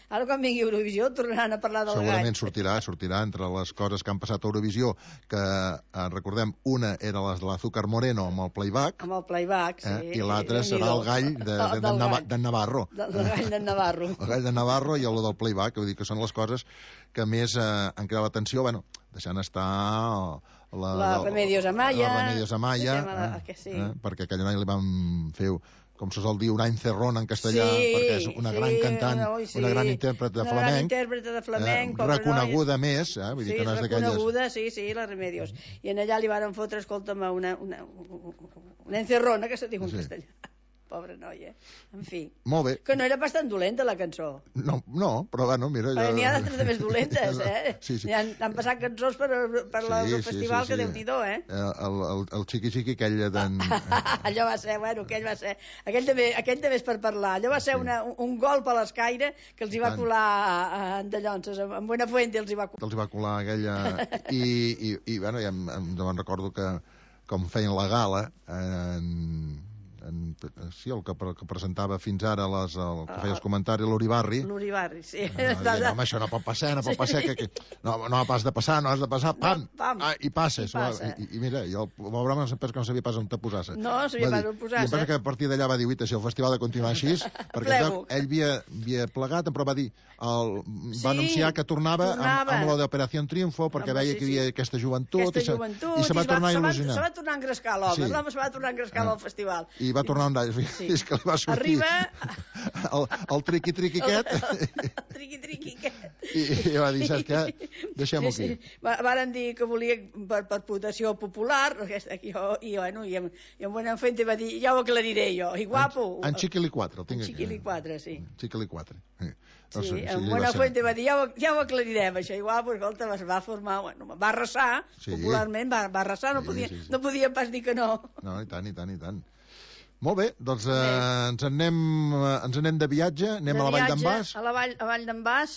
Ara quan vingui Eurovisió tornaran a parlar del Segurament gall. sortirà, sortirà entre les coses que han passat a Eurovisió, que eh, recordem, una era les de l'Azúcar Moreno amb el playback, Amb el playback, sí. eh, i l'altra serà el gall de, de, de, Del Nava- gall. de Navarro. Del, del gall de Navarro. El gall de Navarro i el del playback, vull dir que són les coses que més eh, han creat l'atenció, bueno, deixant estar la, La Remedios Amaya. la Remedios Amaya, Deixem a la- eh, que sí. eh, perquè aquell any li van fer, com se sol dir, un any cerrón en castellà, Sí, perquè és una sí, gran cantant, una- ui, sí. una gran intèrpret de Una gran flamenc, intèrprete de flamenc, eh, pobra reconeguda més, eh, vull dir Sí, que no és d'aquelles... reconeguda, sí, sí, la Remedios. I en allà li varen fotre, escolta'm, una, una, una encerrona, que se diu en Sí. castellà. Pobra noia. En fi. Molt bé. Que no era bastant dolenta, la cançó. No, no, però bueno, mira... Perquè n'hi ha d'altres de més dolentes, eh? Sí, sí. N'hi han, han passat cançons per, per Sí, la, sí, el festival sí, que sí. Déu-n'hi-do, eh? Eh, El, el, el xiqui-xiqui aquell d'en... Allò va ser, bueno, aquell va ser... Aquell també, aquell també és per parlar. Allò va ser una, un, un golp a l'escaire que els hi va Tant. colar a, a Andallonses, en Buenafuente els hi va colar. els hi va colar aquella... I, i, i bueno, ja em, em, em recordo que com feien la gala, en, en, sí, el que, pre- que presentava fins ara les, el que feia els comentaris, l'Uribarri. L'Uribarri, sí. No, no, home, això no pot passar, no pot passar, que, que, no, no has de passar, no has de passar, pam, pam. Ah, i passes. I passa. I, i mira, i el pobre home sempre que no sabia pas on te posar-se. No, sabia Va pas dir- on posar-se. I em pensa que a partir d'allà va dir, uita, si el festival ha de continuar així, perquè Plego. clar, ell havia, havia plegat, però va dir, el, Sí, va anunciar que tornava, tornava. Amb, amb lo d'Operació Triunfo, perquè Home, veia sí, que hi havia sí. aquesta joventut, Aquesta i, se, joventut, i se va tornar a se il·lusionar. Se va tornar a engrescar l'home, Sí. l'home se va tornar a engrescar Ah. al festival. I va tornar un d'all, Sí. és que li va sortir Arriba... el, el triqui-triqui aquest, Triqui, triqui, aquest. i, i va dir, saps què? Deixem-ho Sí, aquí. sí. Va- Varen dir que volia per, per votació popular, aquesta, aquí, jo, i, bueno, i, en, i en Buenafuente va dir, ja ho aclariré jo, i guapo. En Chiquili quatre, el tinc En aquí. Chiquili quatre, sí. Chiquili quatre. Sí. Sí, Doncs, en li va Buenafuente ser- va dir, ja ho, ja ho aclarirem, això. Igual, pues, escolta, es va formar, bueno, va arrasar, Sí. popularment, va, va arrasar, no, Sí, podia, sí, sí. no podia pas dir que no. No, i tant, i tant, i tant. Molt bé, doncs eh, ens, en anem, eh, ens en anem de viatge, anem De a la Vall viatge, d'en Bas. A la Vall, a Vall d'en Bas,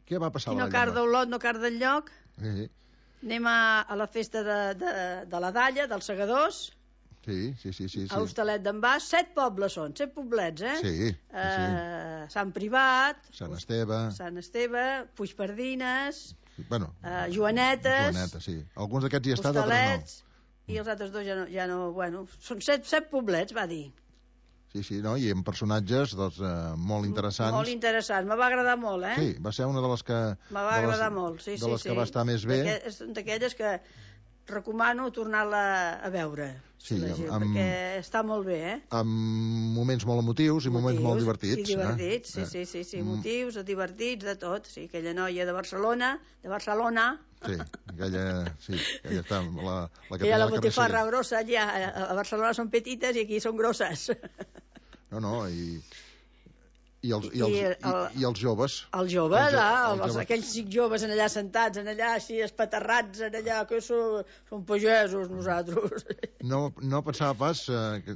Què va passar qui a la no Vall carda d'en Olot, no carda enlloc. Bas? Sí, Anem a, a la festa de, de, de la Dalla, dels Segadors, sí, sí, sí, sí, a sí. Hostalet d'en Bas. Set pobles són, set poblets, eh? Sí, sí, Eh, Sant Privat, Sant Esteve, Sant Esteve, Puigpardines, bueno, eh, Joanetes, Joaneta, sí. Alguns d'aquests hi ha estat, altres Hostalets, i els altres dos ja no, ja no bueno, són set, set poblets, va dir. no. Sí, sí, no? I amb personatges doncs, eh, molt interessants. Molt interessant, me va agradar molt, eh? Sí, va ser una de les que... Me va de les- agradar molt, sí, de sí, les sí. que va estar més bé. D'aquelles- Són d'aquelles que recomano tornar-la a veure, Sí, la gent, amb- perquè està molt bé, eh? Amb moments molt emotius i moments molt divertits. I divertits, eh? sí, sí, sí, sí, Mm. motius, divertits, de tot. Sí, aquella noia de Barcelona, de Barcelona, Sí, aquella, sí, aquella està, la, la que que hi ha feia la la botifarra carnisseria. grossa allà, a a Barcelona són petites i aquí són grosses. No, no, i, i, els, i, I els, el- i, i els joves. Els joves, Els jo- ah, els els, joves. aquells cinc joves en allà sentats, en allà així espaterrats, en allà, que són, són pagesos nosaltres. No, no pensava pas eh, que,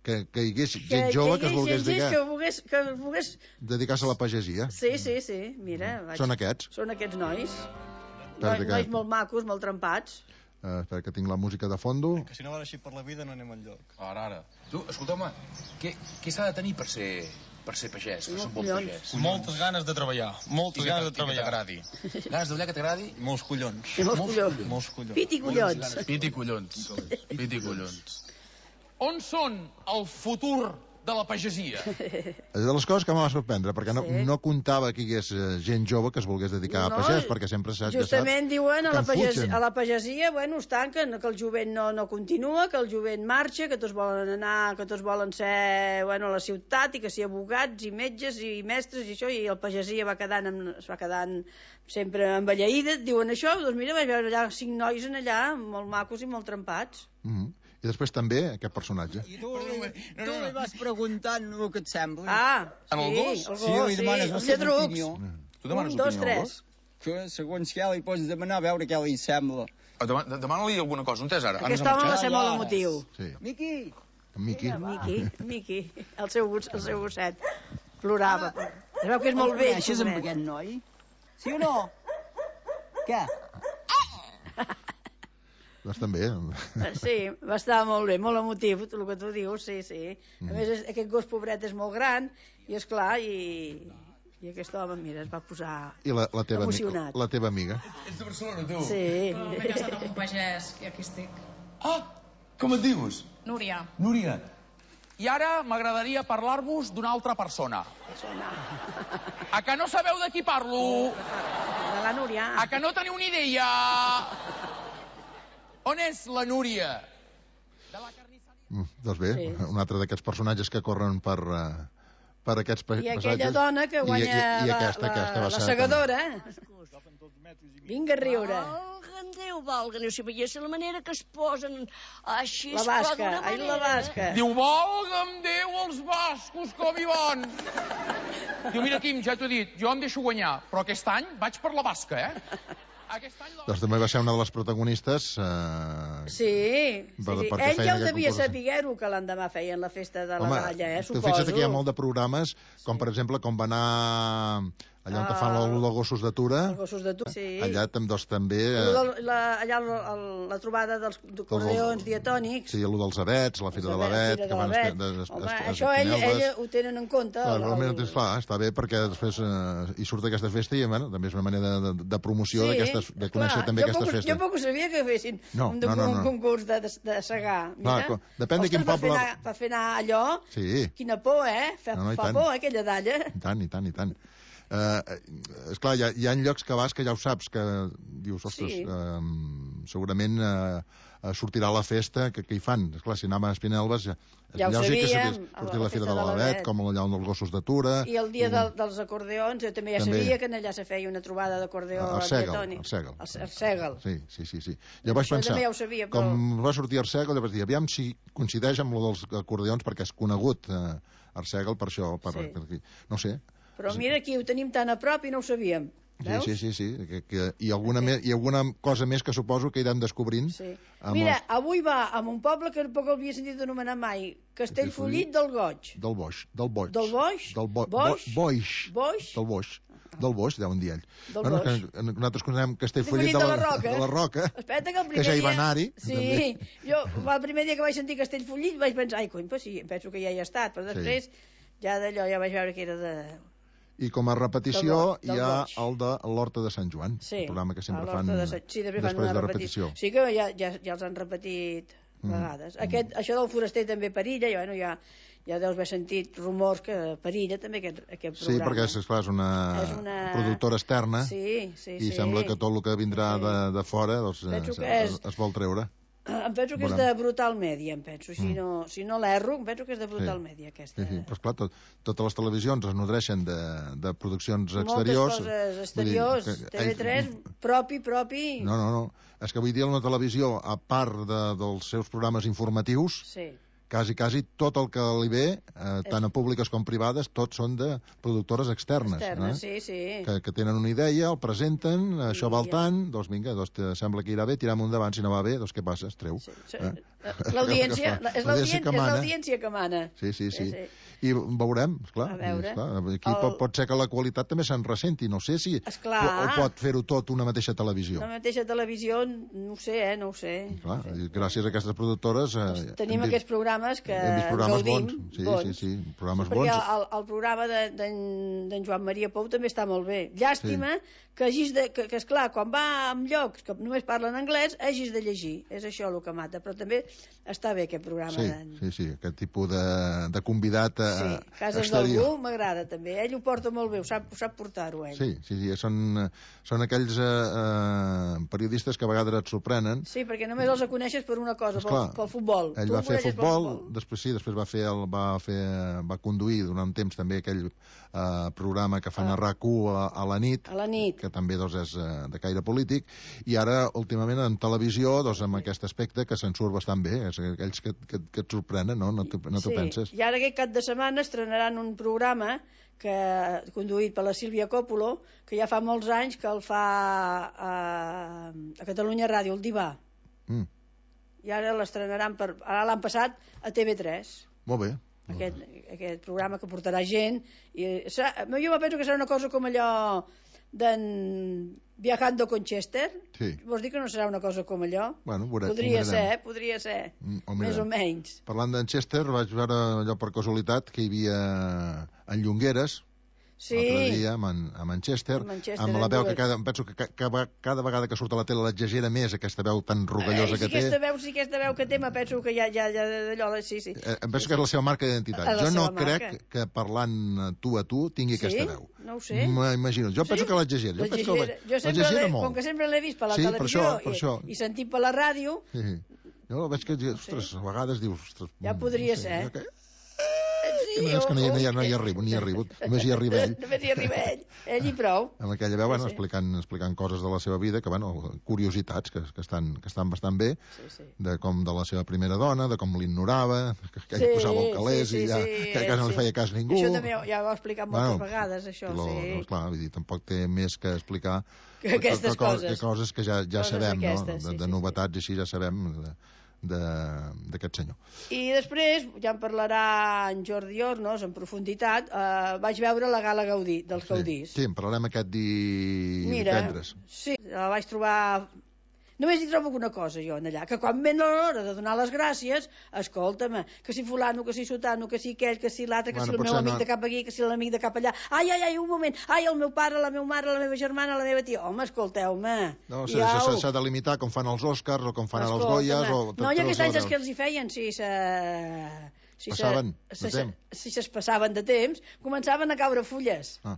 que, que hi hagués Que, gent jove que es hi hagués volgués gent dedicar, que volgués, que volgués... dedicar-se a la pagesia. Sí, sí, sí, mira. Vaig... Són aquests. Són aquests nois. Perquè Nois, que- nois molt macos, molt trempats. Uh, espera que tinc la música de fondo. Que si no va així per la vida no anem enlloc. Ara, ara. Tu, escolteu-me, què, què s'ha de tenir per ser, per ser pagès, per ser un bon pagès? Moltes ganes de treballar, moltes ganes de treballar. I que t'agradi. Ganes de treballar que t'agradi? Molts collons. Molts collons. Molts collons. Pit i collons. Pit i collons. Pit i collons. On són el futur de la pagesia? És de les coses que m'ha sorprendre, perquè no, Sí. no comptava que hi hagués eh, gent jove que es volgués dedicar No, a pagès, perquè sempre saps, Justament ja saps, diuen a que la, en pagesia, fugen. a la pagesia, bueno, es tanquen, que el jovent no, no continua, que el jovent marxa, que tots volen anar, que tots volen ser, bueno, a la ciutat, i que si abogats, i metges, i mestres, i això, i el pagesia va quedant, amb, es va quedant sempre envelleïda, diuen això, doncs mira, vaig veure allà cinc nois en allà, molt macos i molt trempats. Mm -hmm. I després també aquest personatge. I tu, tu li vas preguntant el que et sembla. Ah, En el sí, gos? el Sí, gos, li sí, demanes els la seva lladrucs. opinió. Tu demanes Un, dos, opinió al tres. gos? Que segons què li pots demanar, a veure què li sembla. Demana- Demana-li alguna cosa, on és ara? Aquest home va ser molt emotiu. Sí. Miqui! En Miqui. Miqui, Miqui, el seu, gos, el seu gosset, plorava. Es veu que és molt vell. Coneixes amb pobret. aquest noi? Sí o no? Què? Doncs també. Sí, va estar molt bé, molt emotiu, el que tu dius, sí, sí. A Mm. més, és, aquest gos pobret és molt gran, i és clar, i, i aquest home, mira, es va posar I la, la, teva, ami- emocionat. la teva amiga. Ets de Barcelona, tu? Sí. Com he casat amb un pagès, i aquí estic. Ah, com et dius? Núria. Núria. I ara m'agradaria parlar-vos d'una altra persona. A que no sabeu de qui parlo? De la Núria. A que no teniu ni idea? On és la Núria? Mm, doncs bé, Sí. un altre d'aquests personatges que corren per, uh, per aquests pa- I aquella passatges. dona que guanya I, i, i la, aquesta, la, aquesta va la ser segadora. Vinga a riure. Valga'm Déu, valga'm, si veiés la manera que es posen així... La però basca, d'una ai, la manera- basca. Diu, volga'm Déu els bascos, com hi van. Diu, mira, Quim, ja t'ho he dit, jo em deixo guanyar, però aquest any vaig per la basca, eh? Doncs també va ser una de les protagonistes. Uh, Sí, sí, Per- sí. perquè Ell feien ja ho aquest devia concurs. saber-ho, que l'endemà feien la festa de la Home, dalla, eh, tu suposo. fixa't que hi ha molt de programes, com per exemple, com va anar allà on Ah, fan els gossos d'atura, Els gossos de tu, sí. allà tam- doncs, també... eh, Allò del- la, allà el, el, la trobada dels acordeons diatònics. Sí, allò dels abets, la fira de l'avet, Fira que de van... l'Avet. es- es- Home, es- això ell, espinelves. ell ho tenen en compte. Clar, el- realment, el- clar, està bé perquè després eh, hi surt aquesta festa i bueno, també és una manera de, de, de promoció d'aquestes, de conèixer clar, també jo aquestes poc, festes. Jo poc ho sabia que fessin No, un, no, no, un no. concurs de, de, de segar. Mira. Clar, co- depèn de quin Ostres, poble- Per fer, anar, per fer anar allò, Sí, quina por, eh? Fa, No, no, i fa tant. por, eh, aquella dalla. i tant, i tant, i tant. Uh, esclar, hi ha, hi ha llocs que vas que ja ho saps, que dius, ostres, Sí. uh, segurament uh, sortirà la festa que, que hi fan. Esclar, si anàvem a Espinelves, ja, Ja ho ja sí que sabíem, sabés a sortir la la Fira festa de de l'Avet, l'Avet. com allà on els gossos d'atura. I el dia del, dels acordeons, jo també ja També. sabia que allà se feia una trobada d'acordeó El Segel, diatònic. el Segel. El, el Segel. Sí, sí, sí, sí. Jo vaig Això pensar, també ja ho sabia, però- com va sortir Arsègel, jo vaig dir, aviam si coincideix amb lo dels acordeons, perquè és conegut eh, Arsègel per això, per, Sí. per, no sé. Però mira, aquí ho tenim tan a prop i no ho sabíem. Veus? Sí, sí, sí, sí. Que, que, i, alguna me, I alguna cosa més que suposo que irem descobrint. Sí. amb Mira, els- avui va a un poble que tampoc havia sentit anomenar mai, Castellfollit del Goig. Del Boix, del Boix. Del Boix? Del bo, Boix? Bo, Boix. Boix? Del Boix. Del Boix, deuen dir ell. Del bueno, Boix. que, nosaltres coneixem Castellfollit Castellfollit de, de la Roca. de la Roca. Espera't que el primer que ja hi va dia- anar-hi. Sí, també. jo el primer dia que vaig sentir Castellfollit vaig pensar, ai, cony, pues sí, penso que ja hi he estat, però després ja d'allò ja vaig veure que era de... I com a repetició Del Boix, del hi ha Boix. el de l'Horta de Sant Joan, Sí, el programa que sempre a fan, l'Horta de Sant- sí, després fan després una de repetició. repetició. Sí que ja, ja, ja els han repetit Mm. vegades. Aquest, això del foraster també perilla, i, bueno, ja, ja deus haver sentit rumors que perilla també aquest, aquest Sí, programa. perquè és, esclar, és, una És una- productora externa Sí, sí, i sí. sembla que tot el que vindrà de, de fora doncs, Penso es, que és- es, es vol treure. Em penso que és Veurem. de Brutal Media, em penso. Si Mm. no, si no l'erro, em penso que és de Brutal Sí. Media, aquesta. Sí, sí. Però, esclar, tot, totes les televisions es nodreixen de, de produccions Moltes exteriors. coses exteriors, Vull dir que T V tres, ells- propi, propi... No, no, no. És que vull dir, una televisió, a part de, dels seus programes informatius, Sí. quasi, quasi tot el que li ve, eh, tant a públiques com privades, tots són de productores externes. Externes, eh? sí, sí. Que, que tenen una idea, el presenten, això val ja. tant, doncs vinga, doncs te sembla que irà bé, tiram endavant, si no va bé, doncs què passa? Es treu. Sí. Eh? L'audiència, és L'audiència l'audiència que és mana. l'audiència que mana. Sí, sí, sí. Sí, sí. I veurem, esclar. A veure. Esclar, aquí El- pot, pot ser que la qualitat també se'n ressenti. No sé si... Esclar. O, o pot fer-ho tot una mateixa televisió. La mateixa televisió, no ho sé, eh, no ho sé. Clar, gràcies a aquestes productores... Eh, Tenim hem aquests programes que hem vist programes gaudim. bons. Sí, bons. sí, sí, programes Perquè bons. el, el programa de- d'en d'en Joan Maria Pou també està molt bé. Llàstima que hagis de... Que, que esclar, quan va en llocs que només parlen anglès, hagis de llegir. És això el que mata. Però també està bé aquest programa. Sí, d'en- sí, sí, aquest tipus de, de convidat eh, Sí, Cases exterior. d'algú m'agrada també. Ell ho porta molt bé, ho sap, ho sap portar-ho, ell. Sí, sí, sí, són, són aquells eh, eh, periodistes que a vegades et sorprenen. Sí, perquè només els coneixes per una cosa, pel, Esclar, pel futbol. Ell Tu va el fer coneixes pel futbol, després sí, després va fer el, va fer va conduir durant un temps també aquell eh, programa que fan a R A C u a, a la nit, A la nit. que també doncs, és eh, de caire polític, i ara últimament en televisió doncs, amb aquest aspecte que se'n surt bastant bé, és aquells que, que, que et sorprenen, no? No t'ho no t'ho Sí, penses. i ara aquest cap de setmana estrenaran un programa que conduït per la Sílvia Coppola, que ja fa molts anys que el fa a, a Catalunya Ràdio, el Divà. Mm, I ara l'estrenaran per... Ara l'han passat a T V tres. molt bé. Aquest, aquest programa que portarà gent i serà, jo penso que serà una cosa com allò d'en Viajando con Chester. Sí. Vols dir que no serà una cosa com allò? Bueno, veure, podria ho ser, mirarem. eh? Podria ser, Mm, ho més o mirarem. menys. Parlant d'en Chester, vaig veure allò per casualitat que hi havia en Llongueres, Sí. l'altre dia amb en, amb en Chester, Amb en Chester, amb la en veu que dues. cada, em penso que ca, cada, cada vegada que surt a la tele l'exagera més, aquesta veu tan rogallosa Eh, si que té. aquesta veu, si aquesta veu que té, me penso que ja, ja, ja d'allò, sí, sí. Eh, em penso que és la seva marca d'identitat. La Jo no seva marca. crec que parlant eh, tu a tu tingui Sí? aquesta veu. No ho sé. M'imagino. Jo penso Sí? que l'exagera. Jo, penso que L'exagera. Jo sempre l'exagera l'he- molt. com que sempre l'he vist per la Sí, per televisió això, per i, això. i sentit per la ràdio, Sí, sí. Jo veig que, ostres, a vegades dius... Ostres, ja podria ser. jo que- Sí, que no, és que no hi, no, hi, o- no hi arribo, ni hi arribo. Només hi arriba ell. Només hi arriba ell. Ell i prou. Amb aquella veu, bueno, Sí, sí. explicant, explicant coses de la seva vida, que, bueno, curiositats que, que, estan, que estan bastant bé, Sí, sí. de com de la seva primera dona, de com l'ignorava, que, que ell Sí, posava el calés sí, i ja, sí, que quasi no li sí. feia cas ningú. Això també ja ho he explicat moltes Bueno, vegades, això, lo, sí. no, clar, vull dir, tampoc té més que explicar Que aquestes co- coses. que coses que ja, ja Coses sabem, d'aquestes, no? sí, De, de sí, novetats i així ja sabem de- de- d'aquest senyor. I després, ja en parlarà en Jordi Hornos en profunditat, eh, vaig veure la Gala Gaudí, dels Gaudís. Sí, en parlarem aquest di... Mira, divendres. sí, la vaig trobar... Només hi trobo una cosa, jo, en allà, que quan ven l'hora de donar les gràcies, escolta'm, que si fulano, que si sotano, que si aquell, que si l'altre, que Bueno, si el meu potser amic no- de cap aquí, que si l'amic de cap allà... Ai, ai, ai, un moment! Ai, el meu pare, la meva mare, la meva germana, la meva tia... Home, escolteu-me... No, ja s'ha ho- s'ha de limitar com fan els Oscars o com fan els Escolta'm, Goyas o... No, i tots aquests els anys els que laureus. els hi feien, si se... Si Passaven de se, se, temps. si es passaven de temps, començaven a caure fulles. Ah,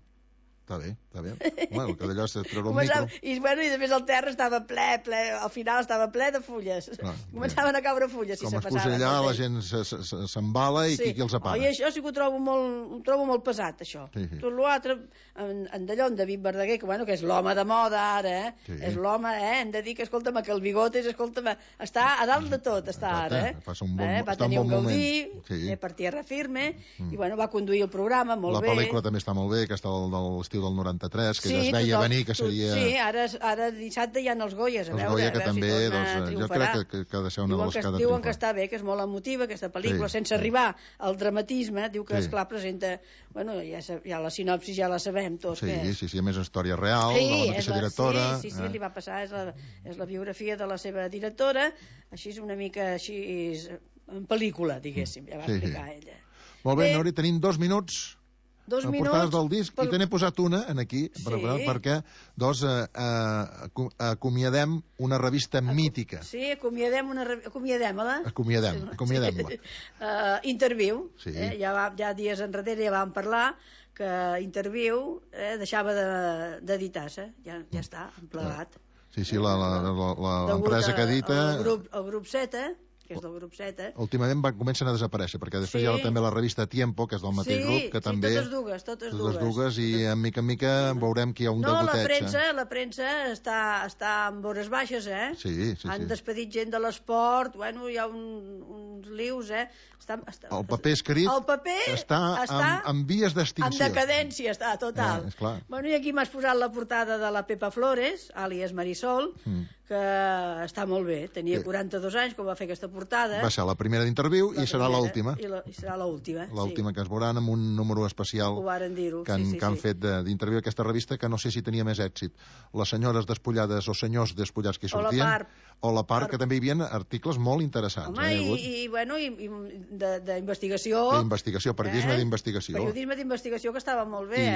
està bé, està bé. Bueno, que d'allò és treure un Començava, micro. i, bueno, i després el terra estava ple, ple, al final estava ple de fulles. Clar, Començaven a caure fulles si Com se es posa passaven. allà, del la temps. gent se- se- se- s'embala i qui, qui els Oh, apaga. i això sí que ho trobo molt, ho trobo molt pesat, això. Sí, sí. Tot l'altre, en, en d'allò, en David Verdaguer, que, bueno, que és l'home de moda ara, eh? Sí. És l'home, eh? Hem de dir que, escolta'm, que el bigotes, escolta'm, està a dalt de tot, està Exacte, ara, eh? passa un bon- eh? Va està un tenir bon un Gaudí, moment. Sí. eh, per tierra firme, Mm. i, bueno, va conduir el programa molt La bé. pel·lícula també està molt bé, que està del, de l'estiu del noranta-tres, que ja es veia tothom- venir que tot- seria... Sí, ara, ara dissabte hi ha els Goyes, a Els veure, Goya, a que veure també, si torna doncs, a eh, jo triomfarà. crec que, que ha de ser una de Diuen les que, que ha de diuen que triomfar. està bé, que és molt emotiva aquesta pel·lícula, Sí, sense sí. arribar al dramatisme, diu que, Sí. esclar, presenta... Bueno, ja, sa- ja la sinopsis ja la sabem tots, Sí, que és. sí, sí, a més història real, Sí, de la és mateixa la- directora. Sí, sí, sí, eh? li va passar, és la, és la biografia de la seva directora, així és una mica així, en pel·lícula, diguéssim, ja va Sí, sí. explicar ella. Molt bé, Bé. Nori, tenim dos minuts. Dos a minuts portades del disc, per- i te n'he posat una en aquí, Sí. per, per, perquè doncs, eh, eh, acu- acomiadem una revista mítica. Sí, acomiadem una... re- Acomiadem-la. Acomiadem, acomiadem-la. Uh, interviu, Sí. eh? ja, va, ja dies enrere ja vam parlar que Interviu eh, deixava de- d'editar-se, ja, ja està, en plegat. Sí, sí, la- la- la- la- Degut l'empresa a- que edita... al grup, el grup Z, que és del grup Z. Últimament van, comencen a desaparèixer, perquè després Sí. hi ha també la revista Tiempo, que és del mateix Sí, grup, que sí, també... totes dues, totes dues. dues, i en mica en mica veurem que hi ha un No, la degoteig. premsa, la premsa està, està en vores baixes, eh? Sí, sí, Han sí. despedit gent de l'esport, bueno, hi ha un, uns lius, eh? Està, està, El paper escrit el paper està, està en, en vies en d'extinció. decadència, està, total. Eh, esclar. Bueno, i aquí m'has posat la portada de la Pepa Flores, àlies Marisol, Mm. que està molt bé. Tenia Sí. quaranta-dos anys quan va fer aquesta portada. Va ser la primera d'interviu i serà l'última. I, la, I serà l'última, L'última sí. que es veuran amb un número especial Ho varen dir-ho, que, han, sí, sí, que han sí. fet d'interviu aquesta revista, que no sé si tenia més èxit. Les senyores despullades o senyors despullats que hi sortien. O la part. O la part, que també hi havia articles molt interessants. Home, eh, i, i, bueno, i, i d'investigació. D'investigació, periodisme eh? d'investigació. Periodisme d'investigació que estava molt bé, I,